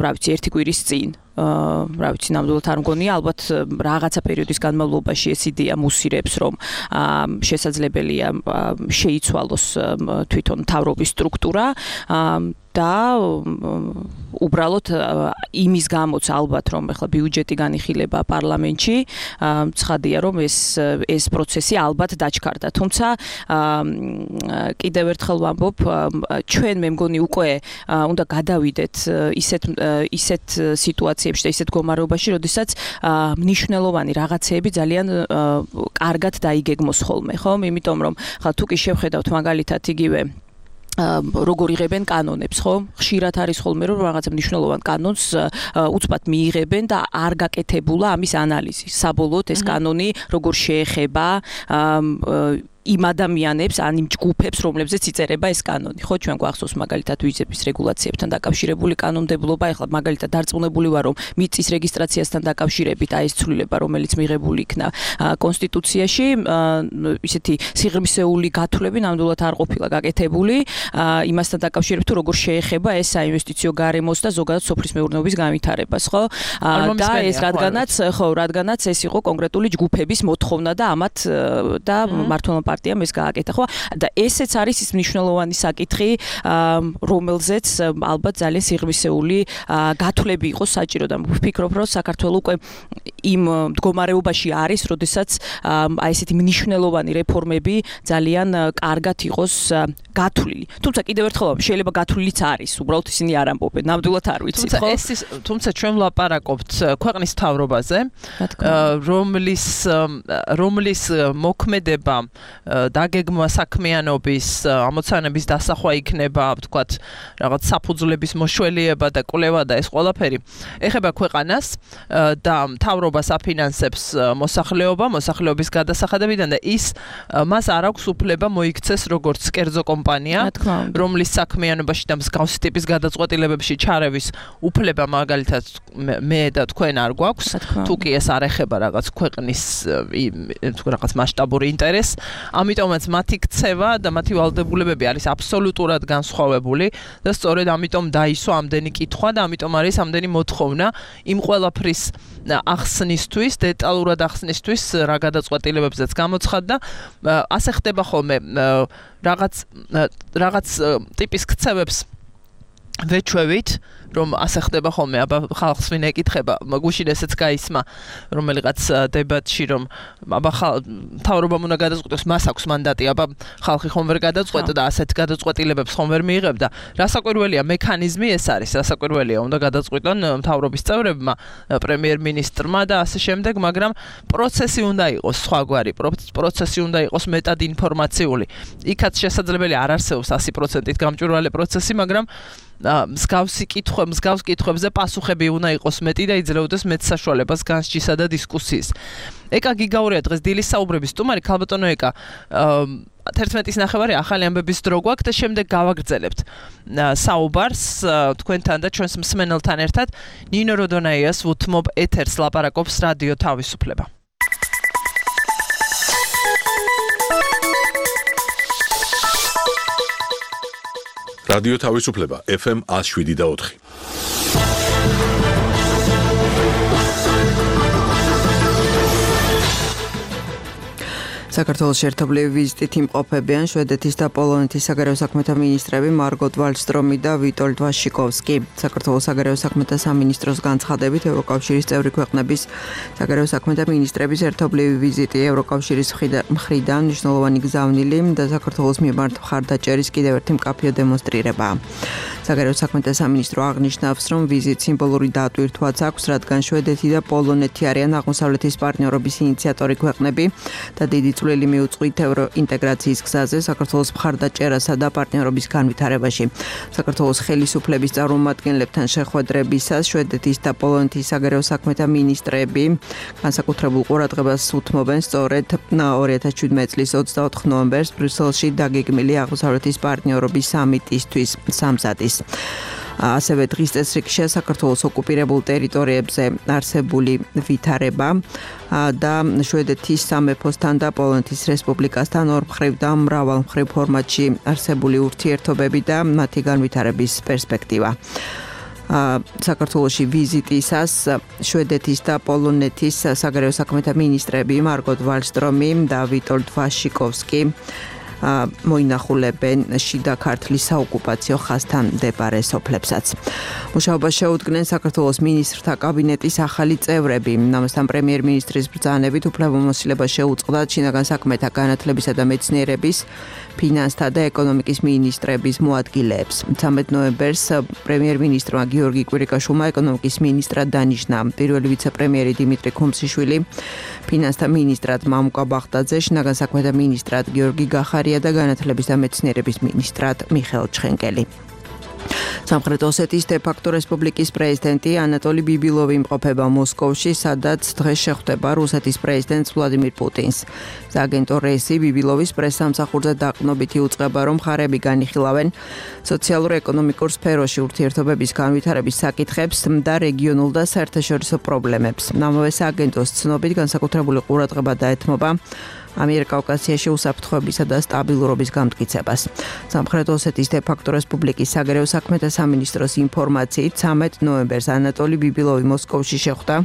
რა ვიცი, ერთი კვირის წინ. რა ვიცი, ნამდვილად არ მგონია, ალბათ რაღაცა პერიოდის განმავლობაში ეს იდეა მუსირებს, რომ შესაძლებელია შეიცვალოს თვითონ მთავრობის სტრუქტურა და უბრალოდ იმის გამოც ალბათ რომ ახლა ბიუჯეტი განიხილება პარლამენტში, ცხადია რომ ეს პროცესი ალბათ დაჩქარდა. თუმცა კიდევ ერთხელ ვამბობ, ჩვენ მე მგონი უკვე უნდა გადავიდეთ ისეთ სიტუაციებში და ისეთ მდგომარეობაში, როდესაც მნიშვნელოვანი რაღაცეები ძალიან კარგად დაიგეგმოს ხოლმე, ხო? იმიტომ რომ ხა თუ კი შევხედავთ მაგალითად იგივე როგორ იღებენ კანონებს, ხო? ხშირად არის ხოლმე რომ რაღაცა მნიშვნელოვან კანონს უცბად მიიღებენ და არ გაკეთებულა ამის ანალიზი. საბოლოოდ ეს კანონი როგორ შეეხება იმ ადამიანებს, ან იმ ჯგუფებს, რომლებზეც იწერება ეს კანონი. ხო, ჩვენ გვახსოვს მაგალითად ვიზების რეგულაციებთან დაკავშირებული კანონმდებლობა, ეხლა მაგალითად დარწმუნებული ვარ, რომ მიწის რეგისტრაციასთან დაკავშირებით აი ეს ცვლილება, რომელიც მიღებული იქნა კონსტიტუციაში, ისეთი სიღრმისეული გათვლები ნამდვილად არ ყოფილა გაკეთებული, იმასთან დაკავშირებით, თუ როგორ შეეხება ეს საინვესტიციო გარემოს და ზოგადად სოფლის მეურნეობის განვითარებას, ხო? და ეს რადგანაც ეს იყო კონკრეტული ჯგუფების მოთხოვნა და ამათ და მართლმადიდებლობა პარტიამ ეს გააკეთა, ხო? და ესეც არის ის მნიშვნელოვანი საკითხი, რომელზეც ალბათ ძალიან სიღრმისეული გათვლები იყოს საჭირო და ვფიქრობ, რომ საქართველოს უკვე იმ მდგომარეობაში არის, როდესაც აი ესეთი მნიშვნელოვანი რეფორმები ძალიან კარგად იყოს გათვლილი. თუმცა კიდევ ერთხელ შეიძლება გათვლილიც არის, უბრალოდ ისინი არ ამბობენ, ნამდვილად არ ვიცით, ხო? თუმცა ჩვენ ვლაპარაკობთ ქვეყნის მთავრობაზე, რომლის მოქმედება დაგეგმვა საქმიანობის, ამოცანების დასახვა იქნება, ვთქვათ, რაღაც საფუძვლების მოშველიება და კვლევა და ეს ყველაფერი ეხება ქვეყანას და მთავრობას აფინანსებს მოსახლეობის გადასახადებიდან და ის მას არ აქვს უფლება მოიქცეს როგორც კერძო კომპანია, რომლის საქმიანობაში და მსგავსი ტიპის გადაწყვეტილებებში ჩარევის უფლება მაგალითად მე და თქვენ არ გვაქვს, თუ კი ეს არ ეხება რაღაც ქვეყნის რაღაც მასშტაბური ინტერესს, ამიტომაც მათი ქცევა და მათი ვალდებულებები არის აბსოლუტურად განსხვავებული და სწორედ ამიტომ დაისვა ამდენი კითხვა და ამიტომ არის ამდენი მოთხოვნა იმ ყველაფრის ახსნისთვის, დეტალურად ახსნისთვის, რა გადაწყვეტილებებზეც გამოცხადდა. ასე ხდება ხოლმე რაღაც ტიპის ქცევებს ვეჩვევით, რომ ასე ხდება ხოლმე, აბა ხალხს ვინ ეკითხება, გუშინ ესეც გაისმა რომელიღაც დებატში, რომ აბა მთავრობამ უნდა გადაწყვეტოს, მას აქვს მანდატი, აბა ხალხი ხომ ვერ გადაწყვეტდა და ასეთ გადაწყვეტილებებს ხომ ვერ მიიღებდა. რასაკვირველია, მექანიზმი ეს არის, რასაკვირველია, უნდა გადაწყვიტონ მთავრობის წევრებმა, პრემიერ-მინისტრმა და ასე შემდეგ, მაგრამ პროცესი უნდა იყოს სხვაგვარი, პროცესი უნდა იყოს მეტად ინფორმაციული. იქაც შესაძლებელი არ არსებობს 100% გამჭვირვალე პროცესი, მაგრამ მსგავს კითხვებზე პასუხები უნდა იყოს მეტი და იძლეოდეს მეტ საშუალებას განსჯისა და დისკუსიის. ეკა გიგაურია დღეს დილის საუბრების სტუმარი, ქალბატონო ეკა, 11:30 ახალი ამბების დრო გვაქვს და შემდეგ გავაგრძელებთ საუბარს თქვენთან და ჩვენს მსმენელთან ერთად. ნინო როდონაიას უთმობ ეთერს, ლაპარაკობს რადიო თავისუფლება. რადიო თავისუფლება FM 107.4. საქართველოს ერთობლივი ვიზიტით იმყოფებიან შვედეთის და პოლონეთის საგარეო საქმეთა მინისტრები მარგოტ ვალსტრომი და ვიტოლდ ვაშიკოვსკი. საქართველოს საგარეო საქმეთა სამინისტროს განცხადებით, ევროკავშირის წევრი ქვეყნების საგარეო საქმეთა მინისტრების ერთობლივი ვიზიტი ევროკავშირის მხრიდან მნიშვნელოვანი გზავნილი და საქართველოს მიმართ მხარდაჭერის კიდევ ერთი მკაფიო დემონსტრირებაა. საგარეო საქმეთა სამინისტრო აღნიშნავს, რომ ვიზიტს სიმბოლური დატვირთვაც აქვს, რადგან შვედეთი და პოლონეთი არიან აღმოსავლეთის პარტნიორობის ინიციატორი ქვეყნები და დიდი წვლილი მიუძღვით ევროინტეგრაციის გზაზე საქართველოს მხარდაჭერასა და პარტნიორობის განვითარებაში. საქართველოს ხელისუფლების წარმომადგენლებთან შეხვედრებისას შვედეთის და პოლონეთის საგარეო საქმეთა მინისტრები განსაკუთრებულ ყურადღებას უთმობენ სწორედ 2017 წლის 24 ნოემბერს ბრიუსელში დაგეგმილი აღმოსავლეთის პარტნიორობის სამიტისთვის სამზადის. ასევე დღის წესრიგშია საქართველოს ოკუპირებულ ტერიტორიებზე არსებული ვითარება და შვედეთის სამეფოსთან და პოლონეთის რესპუბლიკასთან ორმხრივ და მრავალმხრივ ფორმატში არსებული ურთიერთობები და მათი განვითარების პერსპექტივა. საქართველოში ვიზიტისას შვედეთის და პოლონეთის საგარეო საქმეთა მინისტრები მარგოტ ვალსტრომი და ვიტოლდ ვაშიკოვსკი მოინახულებენ შიდა ქართლის საოკუპაციო ხაზთან მდებარე სოფლებსაც. მუშაობას შეუდგნენ საქართველოს მინისტრთა კაბინეტის ახალი წევრები. ამასთან პრემიერ-მინისტრის ბრძანებით უფლებამოსილება შეუწყდა შინაგან საქმეთა, განათლებისა და მეცნიერების, ფინანსთა და ეკონომიკის მინისტრების მოადგილეებს. 13 ნოემბერს პრემიერ-მინისტრმა გიორგი კვირიკაშვილმა ეკონომიკის მინისტრად დანიშნა. პირველი ვიცე-პრემიერი დიმიტრი ქუმსიშვილი, ფინანსთა მინისტრად მამუკა ბახტაძე, შინაგან საქმეთა მინისტრად გიორგი გახარია და განათლების და მეცნიერების მინისტრად მიხეილ ჩხენკელი. სამხრეთ ოსეთის დე-ფაქტო რესპუბლიკის პრეზიდენტი ანატოლი ბიბილოვი იმყოფება მოსკოვში, სადაც დღეს შეხვდება რუსეთის პრეზიდენტს ვლადიმირ პუტინს. სააგენტო რესი ბიბილოვის პრესსამსახურზე დაყრდნობით იუწყება, რომ მხარეები განიხილავენ სოციალურ-ეკონომიკურ სფეროში ურთიერთობების განვითარების საკითხებს და რეგიონულ და საერთაშორისო პრობლემებს. ამავე სააგენტოს ცნობით განსაკუთრებული ყურადღება დაეთმობა ამიერკავკასიაში უსაფრთხოებისა და სტაბილურობის გამტკიცებას. სამხრეთ ოსეთის დე-ფაქტო რესპუბლიკის საგარეო საქმეთა სამინისტროს ინფორმაციით 13 ნოემბერს ანატოლი ბიბილოვი მოსკოვში შეხვდა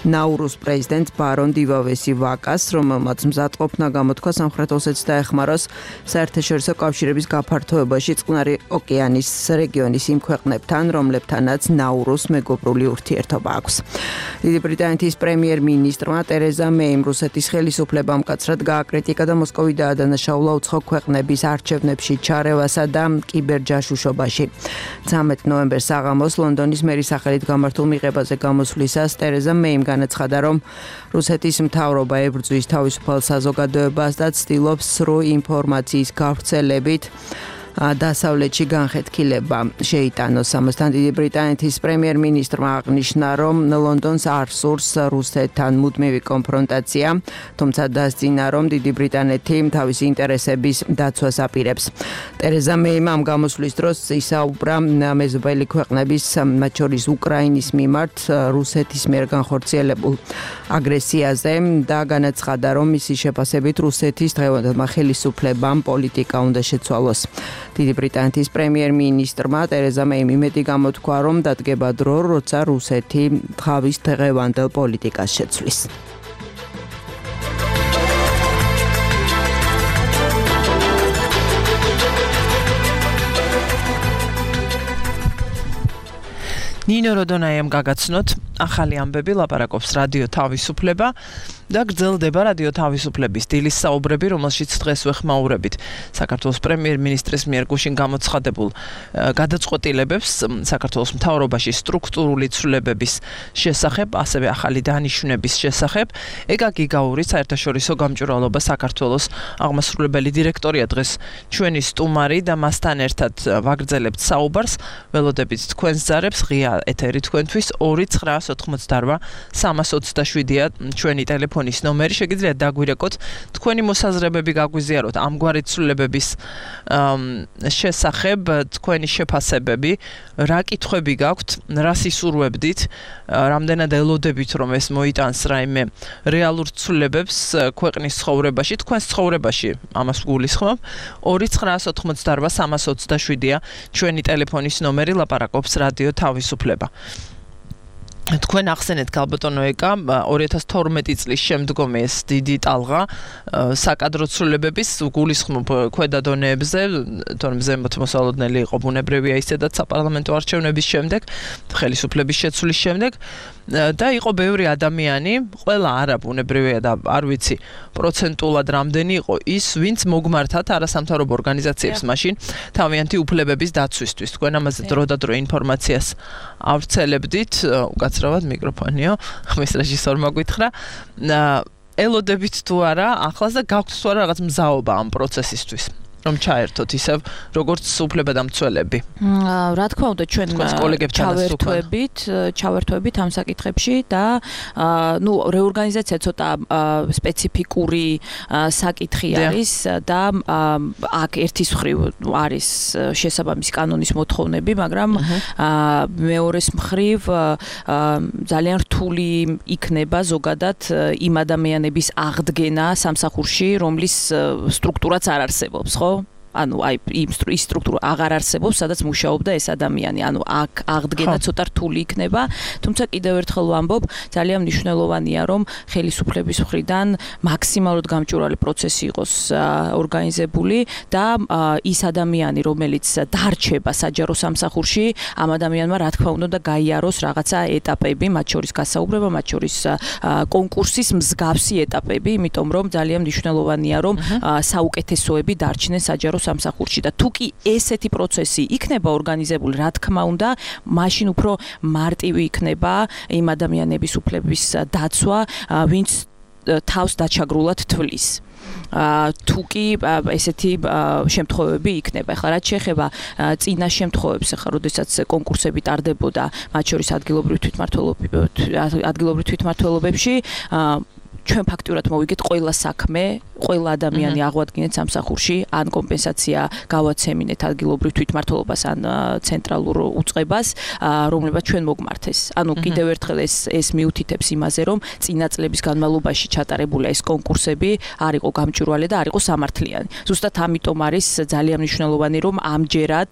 ნაურუს პრეზიდენტ ბარონ დივავესი ვაკას, რომელმაც მზადყოფნა გამოთქვა სამხრეთ ოსეთს დაეხმაროს საერთაშორისო კავშირების გაფართოებაში წყნარი ოკეანის რეგიონის იმ ქვეყნებთან, რომლებთანაც ნაურუს მეგობრული ურთიერთობა აქვს. დიდი ბრიტანეთის პრემიერ-მინისტრმა ტერეზა მეიმ რუსეთის ხელისუფლებამ მკაცრად გააკრიტიკა და მოსკოვი დაადანაშაულა უცხო ქვეყნების არჩევნებში ჩარევასა და კიბერჯაშუშობაში. 13 ნოემბერს საღამოს ლონდონის მერის სახელით გამართულ მიღებაზე გამოსვლისას ტერეზა მეიმ განაცხადა, რომ რუსეთის მთავრობა ებრძვის თავისუფალ საზოგადოებას და ცდილობს სრულ ინფორმაციის გავრცელებით დასავლეთში განხეთქილება შეიტანოს. ამასთან დიდი ბრიტანეთის პრემიერ-მინისტრმა აღნიშნა, რომ ლონდონს არ სურს რუსეთთან მუდმივი კონფრონტაცია, თუმცა დასძინა, რომ დიდი ბრიტანეთი თავისი ინტერესების დაცვას აპირებს. ტერეზა მეიმ ამ გამოსვლის დროს ისაუბრა მეზობელი ქვეყნების, მათ შორის უკრაინის მიმართ რუსეთის მიერ განხორციელებულ აგრესიაზე და განაცხადა, რომ მისი შეფასებით რუსეთის დღევანდელმა ხელისუფლებამ პოლიტიკა უნდა შეცვალოს. დიდი ბრიტანეთის პრემიერ-მინისტრმა ტერეზა მეიმ იმედი გამოთქვა, რომ დადგება დრო, როცა რუსეთი თავის დღევანდელ პოლიტიკას შეცვლის. ნინო როდონაიამ გაგაცნოთ ახალი ამბები, ლაპარაკობს რადიო თავისუფლება და გრძელდება რადიო თავისუფლების დილის საუბრები, რომელშიც დღეს ვეხმაურებით საქართველოს პრემიერ-მინისტრის მიერ გუშინ გამოცხადებულ გადაწყვეტილებებს საქართველოს მთავრობაში სტრუქტურული ცვლილებების შესახებ, ასევე ახალი დანიშვნების შესახებ. ეკა გიგაური, საერთაშორისო გამჭვირვალობა საქართველოს აღმასრულებელი დირექტორია დღეს ჩვენი სტუმარი და მასთან ერთად ვაგრძელებთ საუბარს. ველოდებით თქვენს ძარებს, ღია ეთერი თქვენთვის 2-988-327-ია ჩვენი ტელეფონის ნომერი. შეგიძლიათ დაგვირეკოთ თქვენი მოსაზრებები, გაგვიზიაროთ ამგვარი ცვლილებების შესახებ, თქვენი შეფასებები, რა კითხვები გაქვთ, რა სისურვებდით, რამდენად ელოდებით, რომ ეს მოიტანს რაიმე რეალურ ცვლილებებს ქვეყნის ცხოვრებაში, თქვენს ცხოვრებაში, ამას გულისხმობ. 2-988-327-ია ჩვენი ტელეფონის ნომერი, ლაპარაკობს რადიო თავისუფლება. თქვენ ახსენეთ ქალბატონო ეკა 2012 წლის შემდგომი ეს დიდი ტალღა საკადრო ცვლილებების გულისხმობ ქვედა დონეებზე, თორემ ზემოთ მოსალოდნელი იყო ბუნებრივია ისედაც საპარლამენტო არჩევნების შემდეგ, ხელისუფლების შეცვლის შემდეგ და იყო ბევრი ადამიანი, ყველა არა ბუნებრივია და არ ვიცი პროცენტულად რამდენი იყო ის, ვინც მოგმართათ არასამთავრობო ორგანიზაციებს მაშინ თავიანთი უფლებების დაცვისთვის. თქვენ ამაზე დროდადრო ინფორმაციას ავრცელებდით, უკაცრავად მიკროფონიო, ხმის რეჟისორმა გითხრა. ელოდებით თუ არა, ახლაც და გაქვთ თუ არა რაღაც მზაობა ამ პროცესისთვის, რომ ჩაერთოთ ისევ როგორც უფლებადამცველები. რა თქმა უნდა, ჩვენ ჩავერთვებით ამ საკითხებში და რეორგანიზაცია ცოტა სპეციფიკური საკითხი არის და აქ ერთის მხრივ არის შესაბამისი კანონის მოთხოვნები, მაგრამ მეორეს მხრივ ძალიან რთული იქნება ზოგადად იმ ადამიანების აღდგენა სამსახურში, რომლის სტრუქტურაც არ არსებობს, ხო? ანუ აი იმ სტრუქტურა აღარ არსებობს, სადაც მუშაობდა ეს ადამიანი. ანუ აქ აღდგენა ცოტა რთული იქნება, თუმცა კიდევ ერთხელ ვამბობ, ძალიან მნიშვნელოვანია, რომ ხელისუფლების მხრიდან მაქსიმალურად გამჭვირვალე პროცესი იყოს ორგანიზებული და ის ადამიანი, რომელიც დარჩება საჯარო სამსახურში, ამ ადამიანმა რა თქმა უნდა გაიაროს რაღაცა ეტაპები, მათ შორის გასაუბრება, მათ შორის კონკურსის მსგავსი ეტაპები, იმიტომ რომ ძალიან მნიშვნელოვანია, რომ საუკეთესოები დარჩნენ საჯარო სამსახურში და თუ კი ესეთი პროცესი იქნება ორგანიზებული, რა თქმა უნდა, მაშინ უფრო მარტივი იქნება იმ ადამიანების უფლების დაცვა, ვინც თავს დაჩაგრულად თვლის. თუ კი ესეთი შემთხვევები იქნება. ახლა რაც შეეხება წინა შემთხვევებს, ახლა როდესაც კონკურსები ტარდებოდა, მათ შორის ადგილობრივ თვითმმართველობებში, ჩვენ ფაქტურად მოვიგეთ ყველა საქმე, ყველა ადამიანი აღვადგინეთ სამსახურში, ან კომპენსაცია გავაცემინეთ ადგილობრივ თვითმმართველობას, ან ცენტრალურ უწყებას, რომლებაც ჩვენ მოგმართეს. ანუ კიდევ ერთხელ ეს მიუთითებს იმაზე, რომ წინა წლების განმავლობაში ჩატარებული ეს კონკურსები არ იყო გამჭვირვალე და არ იყო სამართლიანი. ზუსტად ამიტომ არის ძალიან მნიშვნელოვანი, რომ ამჯერად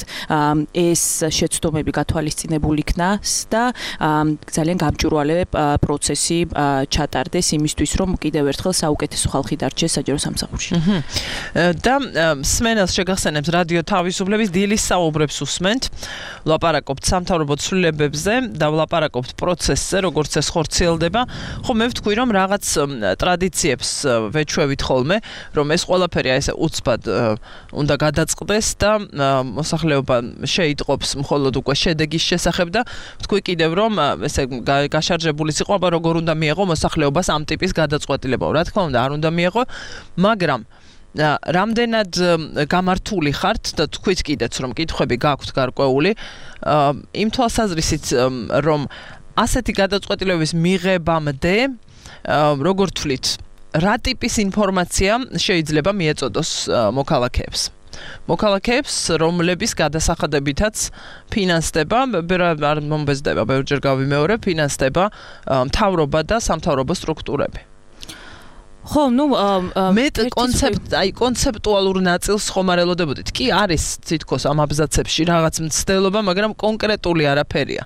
ეს შეცდომები გათვალისწინებული იქნას და ძალიან გამჭვირვალე პროცესი ჩატარდეს იმისთვის, რომ კიდევ ერთხელ საუკეთესო ხალხი დარჩეს საჯარო სამსახურში. და სმენელს შეგახსენებს რადიო თავისუფლების დილის საუბრებს უსმენთ. ვლაპარაკობთ სამთავრობო ცვლილებებზე და ვლაპარაკობთ პროცესზე, როგორც ეს ხორციელდება. ხო მე ვთქვი, რომ რაღაც ტრადიციებს ვეჩვევით ხოლმე, რომ ეს ყველაფერი ესე უცბად უნდა გადაწყდეს და მოსახლეობა შეიტყობს მხოლოდ უკვე შედეგის შესახებ და ვთქვი კიდევ, რომ ესე გაშარჟებული სიყვა როგორ უნდა მიეღო მოსახლეობას ამ ტიპის გადაწყვეტილება. რა თქმა უნდა, არ უნდა მიეღო, მაგრამ რამდენად გამართული ხართ და თქვით კიდეც რომ კითხვები გაქვთ გარკვეული იმ თვალსაზრისით რომ ასეთი გადაწყვეტილებების მიღებამდე როგორ თვლით რა ტიპის ინფორმაცია შეიძლება მიეწოდოს მოქალაქეებს რომლების გადასახადებითაც ფინანსდება არ მომბეზდება ბევრჯერ გავიმეორე ფინანსდება მთავრობა და სამთავრობო სტრუქტურები ხო, მე კონცეპტუალურ ნაწილს ხომ არ ელოდებოდით. კი არის თითქოს ამ აბზაცებში რაღაც მცდელობა, მაგრამ კონკრეტული არაფერია.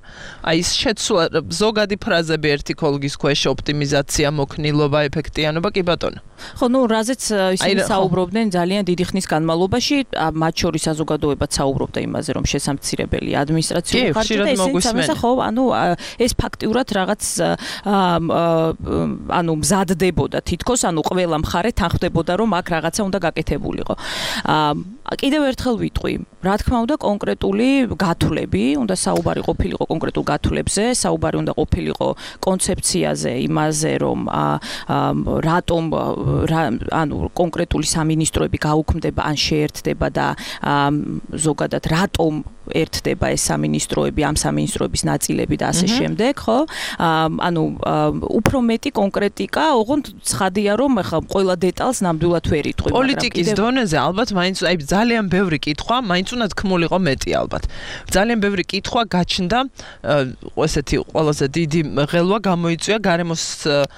აი ის შეცვლა ზოგადი ფრაზები ერთი კოლგის ქვეშ ოპტიმიზაცია, მოქნილობა, ეფექტიანობა, კი ბატონო. ხო, რაზეც ისინი საუბრობდნენ ძალიან დიდი ხნის განმავლობაში, მათ შორის საზოგადოებაც საუბრობდა იმაზე, რომ შესამცირებელი ადმინისტრაციული ხარჯი და ესეც ხო, ეს ფაქტიურად რაღაც მზადდებოდა თითქოს ყველა მხარე თანხმდებოდა რომ აქ რაღაცა უნდა გაკეთებულიყო. კიდევ ერთხელ ვიტყვი, რა თქმა უნდა კონკრეტული გათვლები, უნდა საუბარი ყოფილიყო კონკრეტულ გათვლებზე, საუბარი უნდა ყოფილიყო კონცეფციაზე, იმაზე რომ რატომ კონკრეტული სამინისტროები გაუქმდება ან შეერთდება და ზოგადად რატომ ერთდება ეს სამინისტროები, ამ სამინისტროების ნაწილები და ასე შემდეგ, ხო? უფრო მეტი კონკრეტიკა, ოღონდ ცხადია რომ ახლა ყველა დეტალს ნამდვილად ვერ იტყვი, მაგრამ პოლიტიკის დონეზე ალბათ მაინც აი ძალიან ბევრი კითხვა, მაინც უნდა თქმულიყო მეტი ალბათ. ძალიან ბევრი კითხვა გაჩნდა, ესეთი ყველაზე დიდი ღელვა გამოიწვია გარემოს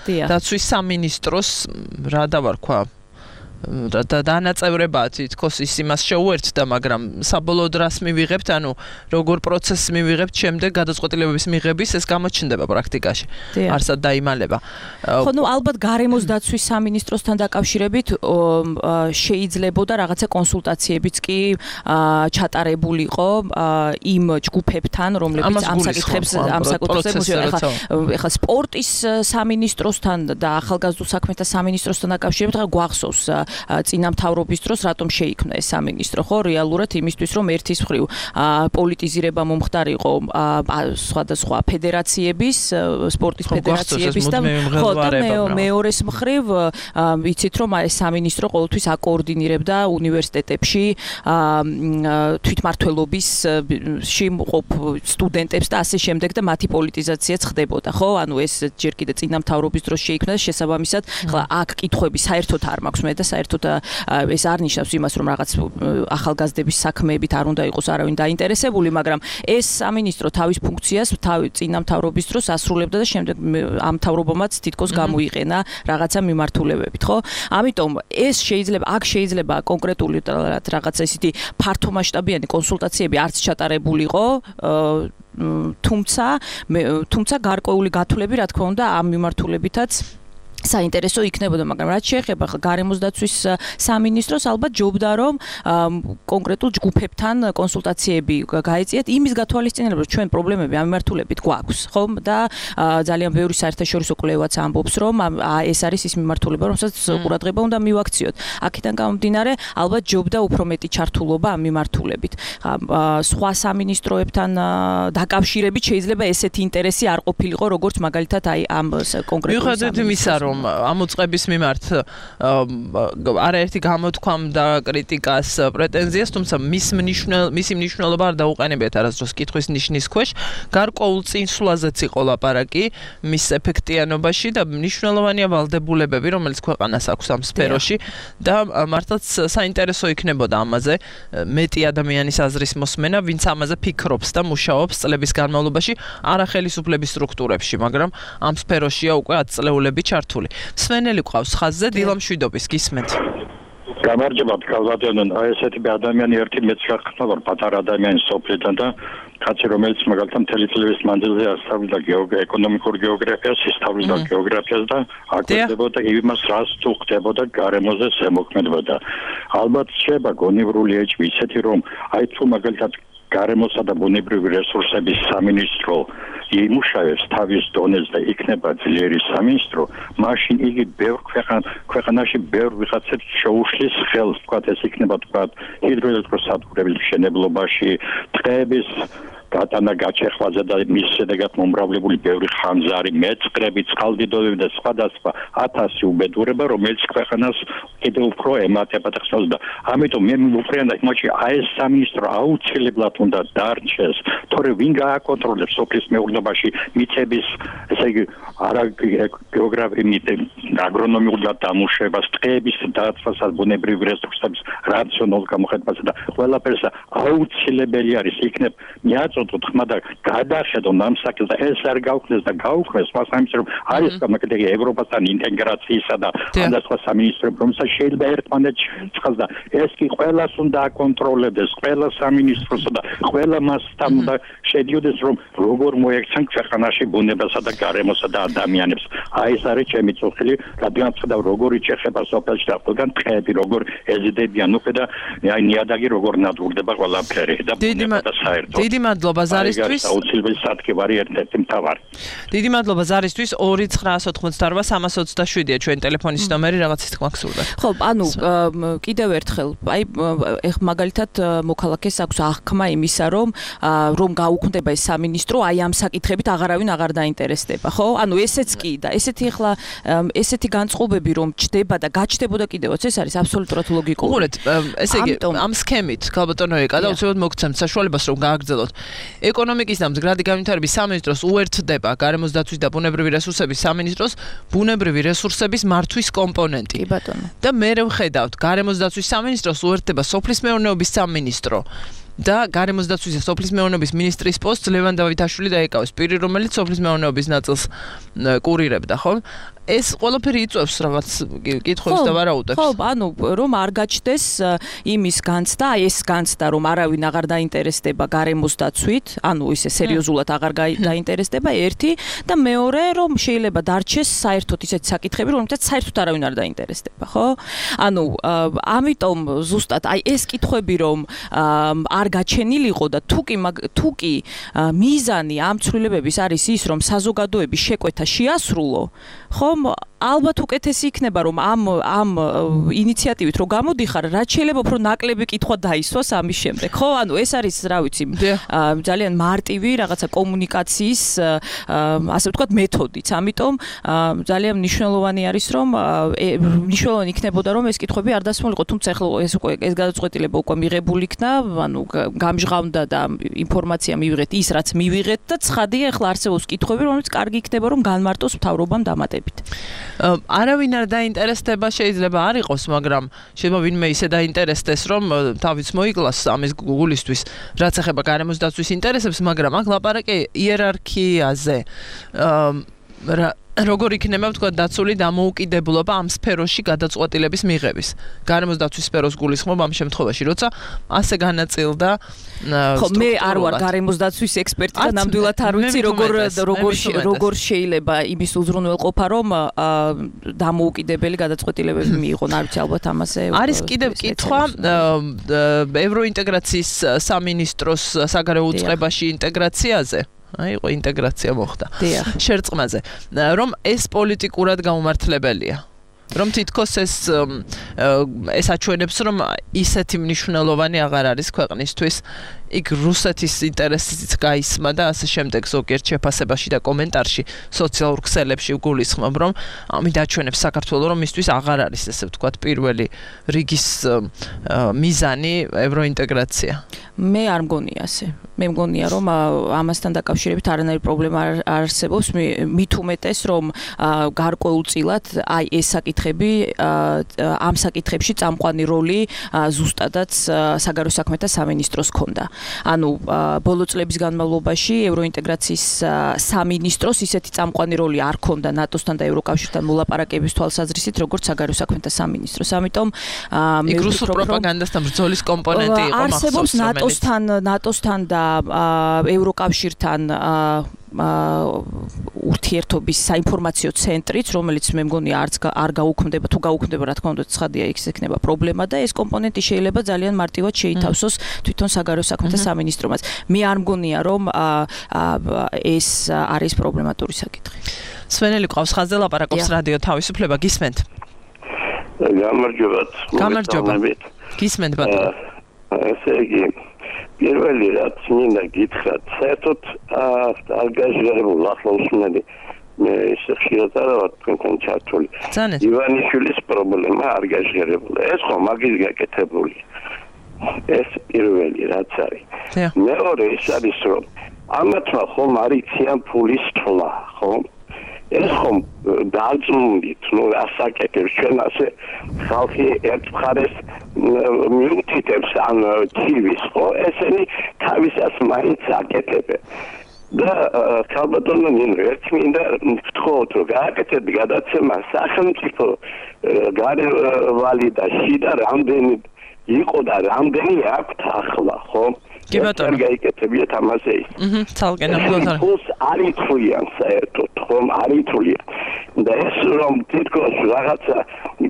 დაცვის სამინისტროს რა დავარქვა და დანაწევრება თითქოს ის იმას შეუერთდა, მაგრამ საბოლოო დრას მივიღებთ, როგორ პროცესს მივიღებთ, შემდეგ გადაწყვეტილებების მიღების ეს გამოჩნდება პრაქტიკაში. არსად დაიმალება. ხო, ალბათ გარემოს დაცვის სამინისტროსთან დაკავშირებით შეიძლებოდა რაღაცა კონსულტაციებიც კი ჩატარებულიყო იმ ჯგუფებთან, რომლებიც ამ საკითხებს ეხლა სპორტის სამინისტროსთან და ახალგაზრდულ საქმეთა სამინისტროსთან დაკავშირებით გვახსოვს წინა მთავრობის დროს რატომ შეიქმნა ეს სამინისტრო, ხო, რეალურად იმისთვის რომ ერთის მხრივ პოლიტიზირება მომხდარიყო სხვადასხვა ფედერაციების, სპორტის ფედერაციების და ხო და მეორეს მხრივ ვიცით რომ ეს სამინისტრო ყოველთვის აკოორდინირებდა უნივერსიტეტებში თვითმმართველობის მყოფ სტუდენტებს და ასე შემდეგ და მათი პოლიტიზაციაც ხდებოდა, ხო? ეს ჯერ კიდე წინა მთავრობის დროს შეიქმნა და შესაბამისად ხლა აქ კითხვები საერთოდ არ მაქვს მე და საერთოდ ეს არ ნიშნავს იმას რომ რაღაც ახალგაზრდების საქმეებით არ უნდა იყოს არავინ დაინტერესებული, მაგრამ ეს სამინისტრო თავის ფუნქციას წინა მთავრობის დროს ასრულებდა და შემდეგ ამ მთავრობამაც თითქოს გამოიყენა რაღაცა მიმართულებებით, ხო? ამიტომ ეს შეიძლება კონკრეტული რაღაცა ისეთი ფართომასშტაბიანი კონსულტაციები არც ჩატარებულიყო, თუმცა გარკვეული გათვლები, რა თქმა უნდა, ამ მიმართულებითაც საინტერესო იქნებოდა, მაგრამ რაც შეეხება გარემოს დაცვის სამინისტროს, ალბათ ჯობდა რომ კონკრეტულ ჯგუფებთან კონსულტაციები გაეწიათ იმის გათვალისწინებად, რომ ჩვენ პრობლემები ამ მიმართულებით გვაქვს, ხო? და ძალიან ბევრი საერთაშორისო კვლევაც ამბობს, რომ ეს არის ის მიმართულება, რომელსაც ყურადღება უნდა მივაქციოთ. აქედან გამომდინარე, ალბათ ჯობდა უფრო მეტი ჩართულობა ამ მიმართულებით. სხვა სამინისტროებთან დაკავშირებით შეიძლება ესეთი ინტერესი არ ყოფილიყო, როგორც მაგალითად აი ამ კონკრეტულ სამინისტროს ამ უწყების მიმართ არაერთი გამოთქვამ და კრიტიკას პრეტენზიას, თუმცა მისი მნიშვნელობა არ დაუყენებიათ არასდროს კითხვის ნიშნის ქვეშ, გარკვეულ წინსვლაზეც იყო ლაპარაკი მის ეფექტიანობაში და მნიშვნელოვანია ვალდებულებები, რომელიც ქვეყანას აქვს ამ სფეროში და მართლაც საინტერესო იქნებოდა ამაზე მეტი ადამიანის აზრის მოსმენა, ვინც ამაზე ფიქრობს და მუშაობს წლების განმავლობაში არახელისუფლების სტრუქტურებში, მაგრამ ამ სფეროშია უკვე 10 წლეულები ჩართული. სვენელი ყავს ხაზზე, დილამშვიდობის, გისმენთ. გამარჯობა ქალბატონო, ესეთი ადამიანი ერთი მეც გახსნა, პატარა ადამიანი სოფლიდან და კაცი რომელიც მაგალითად მთელი წლების მანძილზე ასწავლიდა ეკონომიკურ გეოგრაფიას, ისწავლიდა გეოგრაფიას და აკეთებდა იმას, რაც თუ ხდებოდა გარემოზე ზემოქმედება. ალბათ შეიძლება გონივრული ეჭვი ისეთი რომ აი თუ მაგალითად გარემოსა და ბუნებრივი რესურსების სამინისტრო იმუშავებს თავის დონეზე და იქნება ძლიერი სამინისტრო, მაშინ იგი ბევრ ქვეყანაში ბევრ ვიღაცებს შეუშლის ხელს, თქვათ ეს იქნება თქვათ ჰიდროელექტროსადგურების მშენებლობაში, ტყეების გატანა გაჩეხვაზე და მის შედეგად მომრავლებული ბევრი ხანძარი, მეწყრები, წყალდიდობები და სხვადასხვა 1000 უბედურება, რომელიც ქვეყანას კიდევ უფრო ემატება და ხსნას და ამიტომ მე მივუყრიანდა იმაში აი ეს სამინისტრო აუცილებლად უნდა დარჩეს, თორე ვინ გააკონტროლებს სოფლის მეურნეობაში მიწების, ესე იგი არა გეოგრაფიულ აგრონომიულ დამუშავებას, ტყეების დაცვასაც, ბუნებრივი რესურსების რაციონალურ გამოყენებას და ყველაფერს აუცილებელი არის იქნებ მიაწოდოთ ხმა და გადახედონ ამ საკითხს და ეს არ გავხდეს და გაუქმეს სხვა სამინისტრომ არის გამაკეთებელი ევროპასთან ინტეგრაციისა და სხვა სამინისტროებს რომელსაც შეიძლება ერთმანეთს ცხადს და ეს კი ყველას უნდა აკონტროლებდეს ყველა სამინისტროსა და ყველა მასთან უნდა შედიოდეს რომ როგორ მოექცენ ქვეყანაში ბუნებასა და გარემოსა და ადამიანებს აი ეს არის ჩემი წუხილი რადგან ხედავ როგორ იჭეხება სოფელში და ყველგან ტყეები როგორ ეზიდებიან უკვე და აი ნიადაგი როგორ ნადგურდება ყველაფერი და ბუნება და საერთოდ დიდი მადლობა ზარისთვის. აუცილებელი სადგური ერთ-ერთი მთავარი. დიდი მადლობა ზარისთვის 2988327-ია ჩვენი ტელეფონის ნომერი, რაღაცის თქმა გსურდა. ხო, ანუ კიდევ ერთხელ, აი ეხ მაგალითად მოქალაქეს აქვს აღქმა იმისა, რომ გაუქმდება ეს სამინისტრო, აი ამ საკითხებით აღარავინ აღარ დაინტერესდება, ხო? ანუ ესეც კი და ესეთი ახლა ესეთი განწყობები რომ ჩდება და გაჩნდებოდა კიდევაც ეს არის აბსოლუტურად ლოგიკური. უყურეთ, ესე იგი ამ სქემით ქალბატონო ეკა და უცებად მოგცემთ საშუალებას რომ გააგრძელოთ. ეკონომიკის და მდგრადი განვითარების სამინისტროს უერთდება გარემოს დაცვის და ბუნებრივი რესურსების სამინისტროს ბუნებრივი რესურსების მართვის კომპონენტი. კი ბატონო. და მე ვხედავთ გარემოს დაცვის სამინისტროს უერთდება სოფლის მეურნეობის სამინისტრო. და გარემოს დაცვის და სოფლის მეურნეობის მინისტრის პოსტს ლევან დავითაშვილი დაეკავეს, პირი რომელიც სოფლის მეურნეობის ნაწილს კურირებდა, ხო? ეს ყველაფერი იწვევს რაღაც კითხვებს და ვარაუდებს. ხო, ანუ რომ არ გაჩნდეს იმის განცდა, აი ეს განცდა რომ არავინ აღარ დაინტერესდება გარემოს დაცვით, ანუ ისე სერიოზულად აღარ დაინტერესდება ერთი და მეორე რომ შეიძლება დარჩეს საერთოდ ისეთი საკითხები, რომელთაც საერთოდ არავინ არ დაინტერესდება, ხო? ანუ ამიტომ ზუსტად აი ეს კითხვები რომ არ გაჩენილიყო და თუ კი მიზანი ამ ცვლილებების არის ის რომ საზოგადოების შეკვეთა შეასრულო, ხო? ალბათ უკეთესი იქნება რომ ამ ინიციატივით რო გამოდიხარ, რაც შეიძლება უფრო ნაკლები კითხვა დაისვას ამის შემდეგ. ხო, ანუ ეს არის, რა ვიცი, ძალიან მარტივი რაღაცა კომუნიკაციის, ასე ვთქვათ, მეთოდიც. ამიტომ ძალიან მნიშვნელოვანი არის რომ მნიშვნელოვანი იქნებოდა რომ ეს კითხვები არ დასმულიყო, თუმცა ახლა ეს გადაწყვეტილება უკვე მიღებული იქნა, ანუ გამჟღავნდა და ინფორმაცია მივიღეთ ის რაც მივიღეთ და ცხადია ახლა არსებობს კითხვები, რომელიც კარგი იქნება რომ განმარტოს მთავრობამ დამატებით. არავინ არ დაინტერესდება შეიძლება არ იყოს, მაგრამ შეიძლება ვინმე ისე დაინტერესდეს, რომ თავის მოიკლას ამის გულისთვის, რაც ეხება გარემოს დაცვის ინტერესებს, მაგრამ აქ ლაპარაკი იერარქიაზე. როგორ იქნება თქვა დაცული დამოუკიდებლობა ამ სფეროში გადაწყვეტილების მიღების. გარემოს დაცვის სფეროს გულისხმობ ამ შემთხვევაში, როცა ასე განაწილდა ხო, მე არ ვარ გარემოს დაცვის ექსპერტი და ნამდვილად არ ვიცი როგორ შეიძლება იმის უზრუნველყოფა რომ დამოუკიდებელი გადაწყვეტილებები მიიღონ, არ ვიცი ალბათ ამაზე არის კიდევ კითხვა ევროინტეგრაციის სამინისტროს საგარეო უწყებაში ინტეგრაციაზე. აი, ყო ინტეგრაცია მოხდა. შერწყმაზე, რომ ეს პოლიტიკურად გაუმართლებელია. რომ თითქოს ეს აჩვენებს, რომ ისეთი მნიშვნელოვანი აღარ არის ქვეყნისთვის. იქ რუსეთის ინტერესიც გაისმა და ასე შემდეგ ზოგიერთ შეფასებაში და კომენტარში სოციალურ ქსელებში გულისხმობ, რომ ამით აჩვენებს საქართველოს, რომ მისთვის აღარ არის ესე ვთქვათ პირველი რიგის მიზანი ევროინტეგრაცია. მე არ მგონია ასე. მე მგონია, რომ ამასთან დაკავშირებით არანაირი პრობლემა არ არსებობს, მით უმეტეს, რომ გარკვეულწილად აი ეს საკითხები ამ საკითხებში წამყვანი როლი ზუსტადაც საგარეო საქმეთა სამინისტროს ჰქონდა. ანუ ბოლო წლების განმავლობაში ევროინტეგრაციის სამინისტროს ისეთი წამყვანი როლი არ ჰქონდა ნატოსთან და ევროკავშირთან მოლაპარაკების თვალსაზრისით, როგორც საგარეო საქმეთა სამინისტროს. ამიტომ იქ რუსულ პროპაგანდასთან ბრძოლის კომპონენტი იყო მახსოვს. არსებობს ნატოსთან და ევროკავშირთან ურთიერთობის საინფორმაციო ცენტრიც, რომელიც მე მგონი არ გაუქმდება, თუ გაუქმდება, რა თქმა უნდა, ცხადია, იქ ექნება პრობლემა და ეს კომპონენტი შეიძლება ძალიან მარტივად შეითავსოს თვითონ საგარეო საქმეთა სამინისტრომაც. მე არ მგონია, რომ ეს არის პრობლემატური საკითხი. სვენელი ყავს ხაზზე ლაპარაკობს რადიო თავისუფლება, გისმენთ? გამარჯობათ. გისმენთ ბატონო. ესე იგი პირველი რაც მინდა გითხრათ, საერთოდ არ გაჟღერებულ ახლა უსმენდი მე ისე ხშირად არა ვარ თქვენთან ჩართული. ივანიშვილის პრობლემა არ გაჟღერებულა. ეს ხო მაგის გაკეთებული. ეს პირველი რაც არის. მეორე ის არის რომ ამათმა ხომ არ იციან ფულის თვლა, ხო? ეს ხომ დაძმუნდით, ასაკეთებს ჩვენ ასე ხალხი ერთ მხარეს მიუთითებს ან ცივის, ხო? ესენი თავისას მაინც აკეთებენ. და ქალბატონო ნინო, ერთ მინდა ვთხოვოთ, რომ გააკეთეთ გადაცემა სახელმწიფო გარევალი და შიდა რამდენი იყო და რამდენი აქვთ ახლა, ხო? კი ბატონო. გაიკეთებიათ ამაზე ის. ცალკე ნამდვილად. ფულს არ ითვლიან საერთოდ, ხომ არ ითვლიან. და ეს რომ თითქოს რაღაცა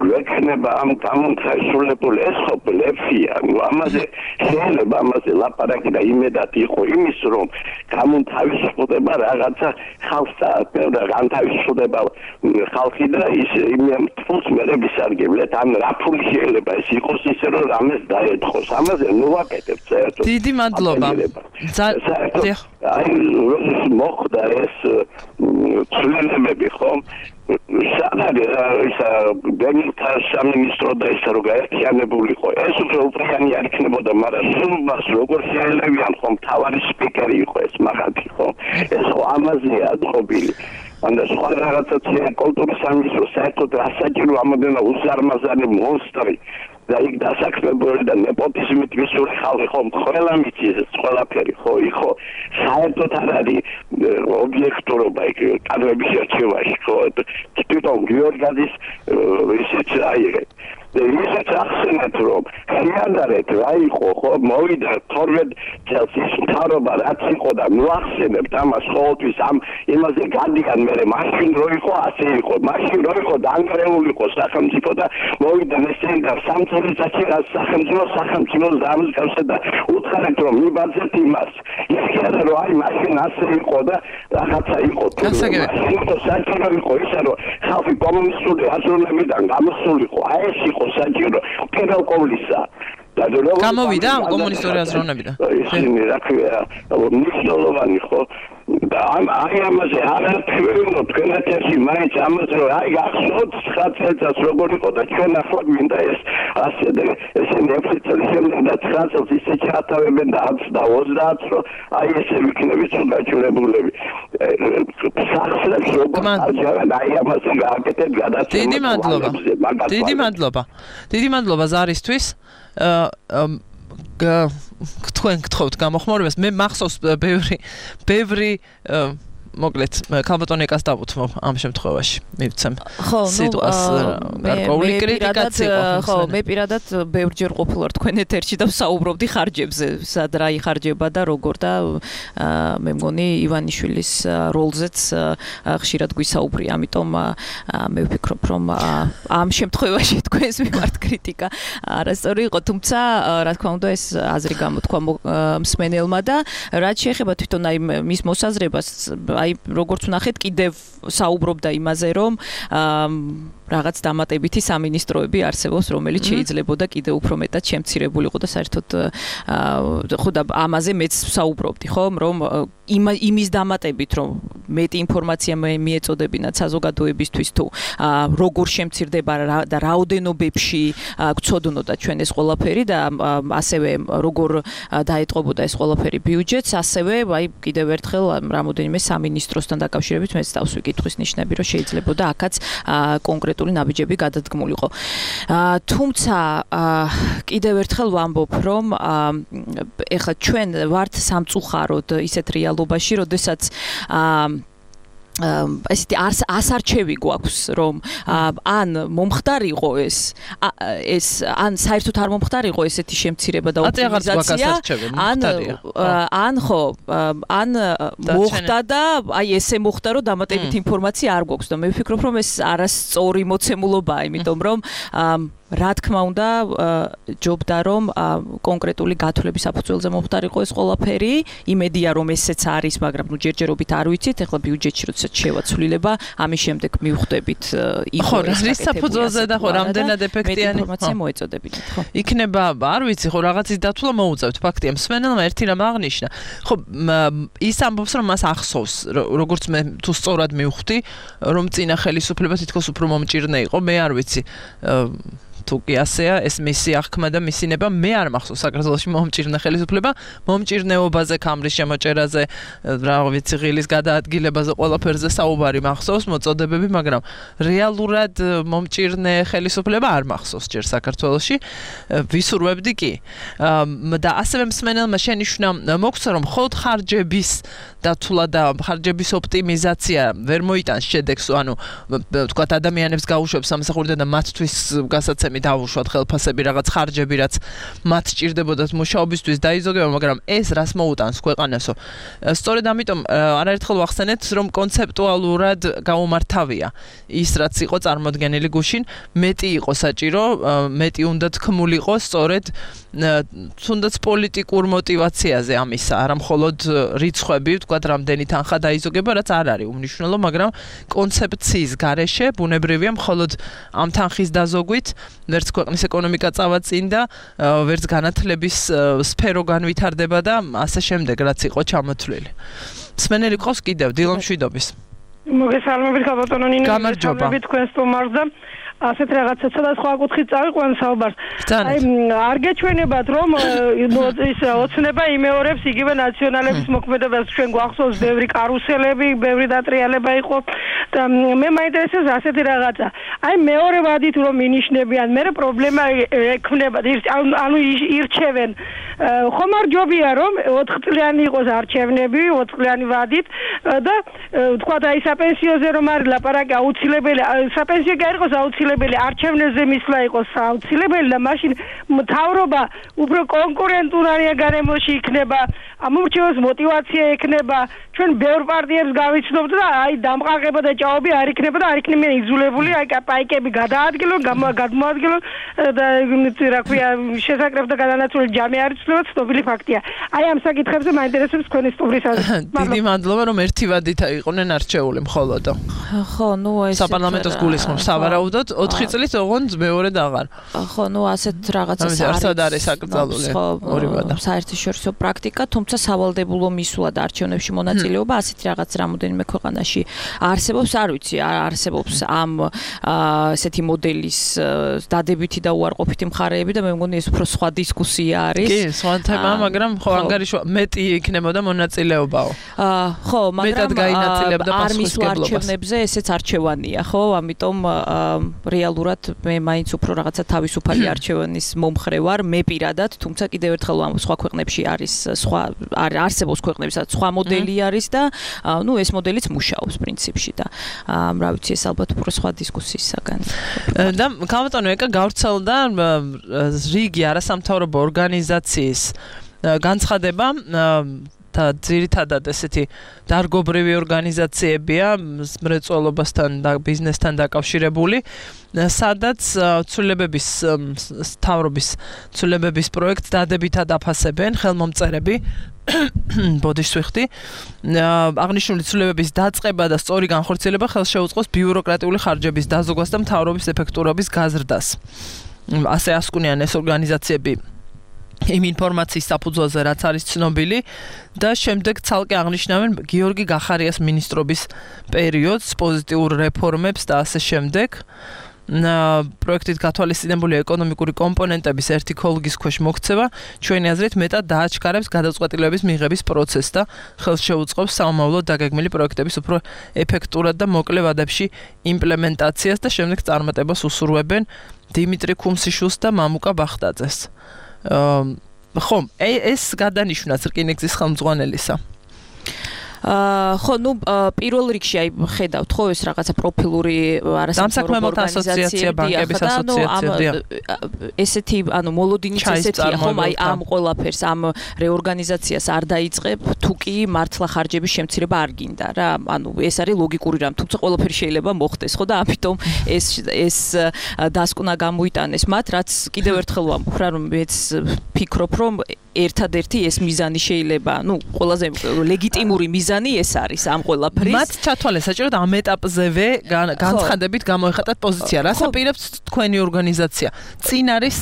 გვექნება ამ გამონცაისრულებული, ეს ხო ბლეფია. ამაზე შეიძლება ამაზე ლაპარაკი და იმედად იყო იმის რომ გამონთავისუფლდება რაღაცა ხალხსა და განთავისუფლდება ხალხი და ის იმ ფულს მერე ვისარგებლეთ. ან რა ფული შეიძლება ეს იყოს ისე რომ რამეს დაეთხოს. ამაზე ნუ ვაკეთებ საერთოდ. დიდი მადლობა. აი მოხდა ეს ცვლილებები ხომ? ბენთა სამინისტრო და ის რო გაერთიანებულიყო, ეს უფრო უპრიანი არ იქნებოდა, მაგრამ სულმას როგორ შეელებიან ხომ თავარი სპიკერი იყო ეს მაგათი ხო? ეს ხო ამაზეა დღობილი. ან სხვა რაღაცა კულტურის სამინისტრო საერთოდ ასაჭირო ამოდენა უზარმაზარი მონსტრი და იქ დასაქმებული და ნეპოტიზმით მისული ხალხი ხომ ყველა მიწის ყველაფერი ხო იქო საერთოდ არ არის ობიექტურობა იქ კადრების არჩევაში ხო თვითონ გიორგაძის ისიც აიღეთ და ისიც ახსენეთ რომ ხიანდარეთ რა იყო ხო მოვიდა 12 წელს ის მთავრობა რაც იყო და მოახსენებთ ამას ყოველთვის ამ იმაზე გადიან მე მაშინ რო იყო ასე იყო მაშინ რო იყო დაანგრეული იყო სახელმწიფო და მოვიდა ესენი და სამწუხაროდ სახელმწიფო დამსგავსა და უთხარით რომ მიბაძეთ იმას ისე რომ აი მაშინ ასე იყო და რაღაცა იყო თუ საერთოდ იყო ისე რომ ხალხი კომუნისტური აზროვნებიდან გამოსულიყო აი ეს იყო საჭირო პირველ ყოვლისა გამოვიდა კომუნისტური აზროვნებიდან ისინი რა ქვია მნიშვნელოვანი ხო და აი ამაზე არაფერი თქვენაც ერთი მაინც ამაზე აი ახსოვთ 9 წელს როგორ იყო და ჩვენ ახლა გვინდა ეს ასე და ესენი 9 წელი შემდეგ და 9 წელს ისე ჩათავებენ და 10 და 30 რომ აი ესე ვიქნებით გაჭირებულები სახსრებს როგორ არჯავენ აი ამაზე გააკეთეთ გადაცემა დიდი მადლობა ზარისთვის თქვენ გთხოვთ გამოხმაურებას მე მახსოვს ბევრი მოკლედ ქალბატონი ეკას დავუთმო ამ შემთხვევაში მივცემ სიტუას გარკვეული კრიტიკაც იყო ხო მე პირადად ბევრჯერ ყოფილვარ თქვენ ეთერში და ვსაუბრობდი ხარჯებზე სად რა იხარჯება და როგორ და მე მგონი ივანიშვილის როლზეც ხშირად გვისაუბრია ამიტომ მე ვფიქრობ რომ ამ შემთხვევაში თქვენს მიმართ კრიტიკა არასწორი იყო თუმცა რა თქმა უნდა ეს აზრი გამოთქვა მსმენელმა და რაც შეეხება თვითონ აი მის მოსაზრებას აი როგორც ვნახეთ კიდევ საუბრობდა იმაზე რომ რაღაც დამატებითი სამინისტროები არსებობს რომელიც შეიძლებოდა კიდევ უფრო მეტად შემცირებულიყო და საერთოდ ხო და ამაზე მეც საუბრობდი ხო რომ იმის დამატებით რომ მეტი ინფორმაცია მიეწოდებინათ საზოგადოებისთვის თუ როგორ შემცირდება და რაოდენობებში გწოდნოდა ჩვენ ეს ყველაფერი და ასევე როგორ დაეტყობოდა ეს ყველაფერი ბიუჯეტს ასევე აი კიდევ ერთხელ რამოდენიმე სამინისტრო სამინისტროსთან დაკავშირებით მეც თავს ვიკითხვის ნიშნები, რომ შეიძლებოდა აქაც კონკრეტული ნაბიჯები გადადგმულიყო. თუმცა კიდევ ერთხელ ვამბობ, რომ ეხლა ჩვენ ვართ სამწუხაროდ ისეთ რეალობაში, როდესაც ესეთი ასარჩევი გვაქვს, რომ ან მომხდარიყო ეს ან საერთოდ არ მომხდარიყო ესეთი შემცირება და ოპტიმიზაცია, ან ხო, ან მოხდა და აი ესე მოხდა, რომ დამატებით ინფორმაცია არ გვაქვს და მე ვფიქრობ, რომ ეს არასწორი მოცემულობაა, იმიტომ რომ რა თქმა უნდა, ჯობდა რომ კონკრეტული გათვლების საფუძველზე მომხდარიყო ეს ყველაფერი, იმედია რომ ესეც არის, მაგრამ ნუ ჯერჯერობით არ ვიცით, ეხლა ბიუჯეტში როდესაც შევაცვლილება, ამის შემდეგ მივხვდებით ხო, რის საფუძველზე და ხო, რამდენად ეფექტიანი ინფორმაცია მოეწოდებინათ, ხო. იქნება, არ ვიცი, ხო, რაღაცის დათვლა მოუწევთ, ფაქტია, მსმენელმა ერთი რამ აღნიშნა. ხო, ის ამბობს, რომ მას ახსოვს, როგორც მე თუ სწორად მივხვდი, რომ წინა ხელისუფლება თითქოს უფრო მომჭირნე იყო, მე არ ვიცი. თუ კი ასეა, ეს მისი აღქმა და მისინება მე არ მახსოვს საქართველოში მომჭირნე ხელისუფლება, მომჭირნეობაზე, ქამრის შემოჭერაზე, რა ვიცი, ღილის გადაადგილებაზე, ყველაფერზე საუბარი მახსოვს, მოწოდებები, მაგრამ რეალურად მომჭირნე ხელისუფლება არ მახსოვს ჯერ საქართველოში. ვისურვებდი კი. და ასევე მსმენელმა შენიშვნა მოგცა, რომ მხოლოდ ხარჯების დათვლა და ხარჯების ოპტიმიზაცია ვერ მოიტანს შედეგს, ანუ თქვათ ადამიანებს გაუშვებს სამსახურიდან და მათთვის გასაცემი დავუშვათ ხელფასები, რაღაც ხარჯები, რაც მათ სჭირდებოდათ მუშაობისთვის დაიზოგება, მაგრამ ეს რას მოუტანს ქვეყანასო. სწორედ ამიტომ არაერთხელ ვახსენეთ, რომ კონცეპტუალურად გაუმართავია ის, რაც იყო წარმოდგენილი გუშინ, მეტი იყო საჭირო, მეტი უნდა თქმულიყო სწორედ თუნდაც პოლიტიკურ მოტივაციაზე ამისა, არა მხოლოდ რიცხვები, თქვათ, რამდენი თანხა დაიზოგება, რაც არ არის უმნიშვნელო, მაგრამ კონცეფციის გარეშე ბუნებრივია მხოლოდ ამ თანხის დაზოგვით ვერც ქვეყნის ეკონომიკა წავა წინ და ვერც განათლების სფერო განვითარდება და ასე შემდეგ, რაც იყო ჩამოთვლილი. მსმენელი ყავს კიდევ დილო მშვიდობის. მოგესალმებით, ბატონო ნინო, გამარჯობა. თქვენ სტუმარს და ასეთ რაღაცა სხვადასხვა კუთხით წავიყვან საუბარს. აი, არ გეჩვენებათ, რომ ის ოცნება იმეორებს იგივე ნაციონალების მოქმედებას. ჩვენ გვახსოვს ბევრი კარუსელები, ბევრი დატრიალება იყო და მე მაინტერესებს ასეთი რაღაცა. აი, მეორე ვადით რომ ინიშნებიან, მე პრობლემა ექნება, ანუ ირჩევენ. ხომ არ ჯობია რომ 4 წლიანი იყოს არჩევნები, 4 წლიანი ვადით და თქვა და აი საპენსიოზე რომ არის ლაპარაკი აუცილებელი, საპენსიო კი არ იყოს აუცილებელი, არჩევნებზე მისვლა იყოს აუცილებელი და მაშინ მთავრობა უფრო კონკურენტული გარემოში იქნება, ამორჩევას მოტივაცია ექნება. ჩვენ ბევრ პარტიებს გავიცნობთ და აი დამყარება და ჭაობი არ იქნება და არ იქნება იზოლებული, აი პაიკები გადაადგილონ, გადმოადგილონ და რა ქვია, შესაკრებ და გადანაცვლელი ჯამი არის ცნობილი ფაქტია. აი ამ საკითხებზე მაინტერესებს თქვენი სტუმრის აზრი. დიდი მადლობა, რომ ერთი ვადით იყვნენ არჩეული მხოლოდ. ხო, ნუ ეს საპარლამენტოს გულისხმობს სავარაუდოდ 4 წლის ოღონდ მეორედ აღარ. ხო, ნუ ასეთ რაღაცას არის საკრძალული ორი ვადა. საერთაშორისო პრაქტიკა, თუმცა სავალდებულო მისვლა და არჩევნებში მონაწილეობა ასეთ რაღაც რამოდენიმე ქვეყანაში არსებობს, არ ვიცი, არსებობს ამ ესეთი მოდელის დადებითი და უარყოფითი მხარეები და მე მგონი ეს უფრო სხვა დისკუსია არის. კი, სხვა თემაა, მაგრამ ხო ანგარიშვა მეტი იქნებოდა მონაწილეობაო. ხო, მაგრამ არ მისვლა არჩევნებზე ესეც არჩევანია, ხო? ამიტომ რეალურად მე მაინც უფრო რაღაცა თავისუფალი არჩევანის მომხრე ვარ, მე პირადად, თუმცა კიდევ ერთხელ ამ სხვა ქვეყნებში არის სხვა არსებობს ქვეყნებსაც სხვა მოდელი არის და ნუ ეს მოდელიც მუშაობს პრინციპში და რა ვიცი, ეს ალბათ უფრო სხვა დისკუსიის საგანი. და გამოტანო ეკა გავრცელდა რიგი არასამთავრობო ორგანიზაციის განცხადება და ძირითადად ესეთი დარგობრივი ორგანიზაციებია მრეწველობასთან და ბიზნესთან დაკავშირებული, სადაც ცვლილებების მთავრობის ცვლილებების პროექტს დადებითად აფასებენ ხელმომწერები. ბოდიშს ვიხდი. აღნიშნული ცვლილებების დაწყება და სწორი განხორციელება ხელს შეუწყოს ბიუროკრატიული ხარჯების დაზოგვას და მთავრობის ეფექტურობის გაზრდას. ასე ასკვნიან ეს ორგანიზაციები იმ ინფორმაციის საფუძველზე, რაც არის ცნობილი და შემდეგ ცალკე აღნიშნავენ გიორგი გახარიას მინისტრობის პერიოდს, პოზიტიურ რეფორმებს და ასე შემდეგ. პროექტით გათვალისწინებული ეკონომიკური კომპონენტების ერთი ქოლგის ქვეშ მოქცევა ჩვენი აზრით მეტად დააჩქარებს გადაწყვეტილებების მიღების პროცესს და ხელს შეუწყობს სამომავლოდ დაგეგმილი პროექტების უფრო ეფექტურად და მოკლე ვადებში იმპლემენტაციას და შემდეგ წარმატებას უსურვებენ დიმიტრი ქუმსიშვილს და მამუკა ბახტაძეს. ხომ, ეს გადანიშნავს რკინიგზის ხელმძღვანელისა. ხო, პირველ რიგში აი ხედავთ ხო ეს რაღაცა პროფილური არასამსახურებო ასოციაცია, ბანკების ასოციაცია. ესეთი, მოლოდინიც ესეთია, ხომ, აი ამ ყველაფერს, ამ რეორგანიზაციას არ დაიწყებ, თუ კი მართლა ხარჯების შემცირება არ გინდა რა. ეს არის ლოგიკური რამ, თუმცა ყველაფერი შეიძლება მოხდეს, ხო და ამიტომ ეს დასკვნა გამოიტანეს მათ, რაც კიდევ ერთხელ ვამბობ რა, რომ მეც ფიქრობ, რომ ერთადერთი ეს მიზანი შეიძლება, ყველაზე ლეგიტიმური მიზანი ეს არის ამ ყველაფრის. მათ ჩათვალეს საჭირო და ამ ეტაპზევე განცხადებით გამოიხატათ პოზიცია. რას აპირებს თქვენი ორგანიზაცია? წინ არის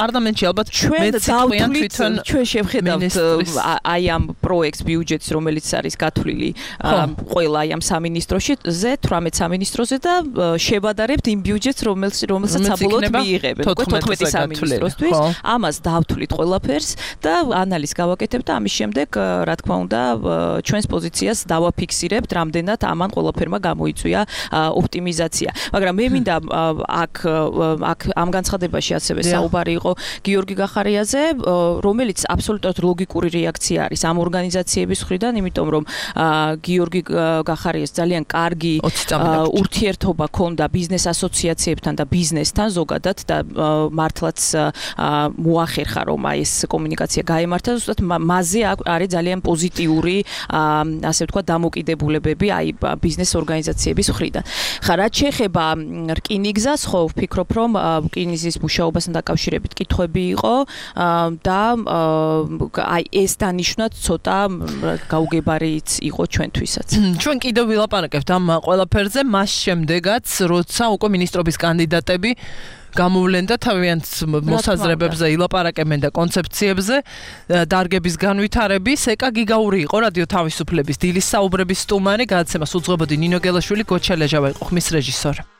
პარლამენტში ალბათ მეციტყვიან თვითონ ჩვენ შევხედავთ აი ამ პროექტს ბიუჯეტს, რომელიც არის გათვლილი ყველა აი ამ სამინისტროში, 18 სამინისტროზე და შევადარებთ იმ ბიუჯეტს, რომელსაც საბოლოოდ მიიღებენ 14 სამინისტროსთვის. ამას დავთვლით ყველაფერს და ანალიზს გავაკეთებთ და ამის შემდეგ რა თქმა უნდა ჩვენს პოზიციას დავაფიქსირებთ, რამდენად ამან ყველაფერმა გამოიწვია ოპტიმიზაცია. მაგრამ მე მინდა აქ ამ განცხადებაში ასევე საუბარი იყო გიორგი გახარიაზე, რომელიც აბსოლუტურად ლოგიკური რეაქცია არის ამ ორგანიზაციების მხრიდან, იმიტომ რომ გიორგი გახარიას ძალიან კარგი ურთიერთობა ჰქონდა ბიზნეს ასოციაციებთან და ბიზნესთან ზოგადად და მართლაც მოახერხა რომ აი ეს კომუნიკაცია გაემართა, ზუსტად მასზე არის ძალიან პოზიტიური ასე ვთქვათ დამოკიდებულებები აი ბიზნეს ორგანიზაციების მხრიდან. ხა რაც შეეხება რკინიგზას, ხო ვფიქრობ რომ რკინიგზის მუშაობასთან დაკავშირებით კითხვები იყო და აი ეს დანიშვნად ცოტა გაუგებარიც იყო ჩვენთვისაც. ჩვენ კიდევ ვილაპარაკებთ ამ ყველაფერზე მას შემდეგაც, როცა უკვე მინისტრობის კანდიდატები გამოვლენ და თავიანთ მოსაზრებებზე ილაპარაკებენ და კონცეფციებზე დარგების განვითარების. ეკა გიგაური იყო რადიო თავისუფლების დილის საუბრების სტუმარი, გადაცემას უძღვებოდი ნინო გელაშვილი, გოჩა ლეჟავა იყო ხმის რეჟისორი.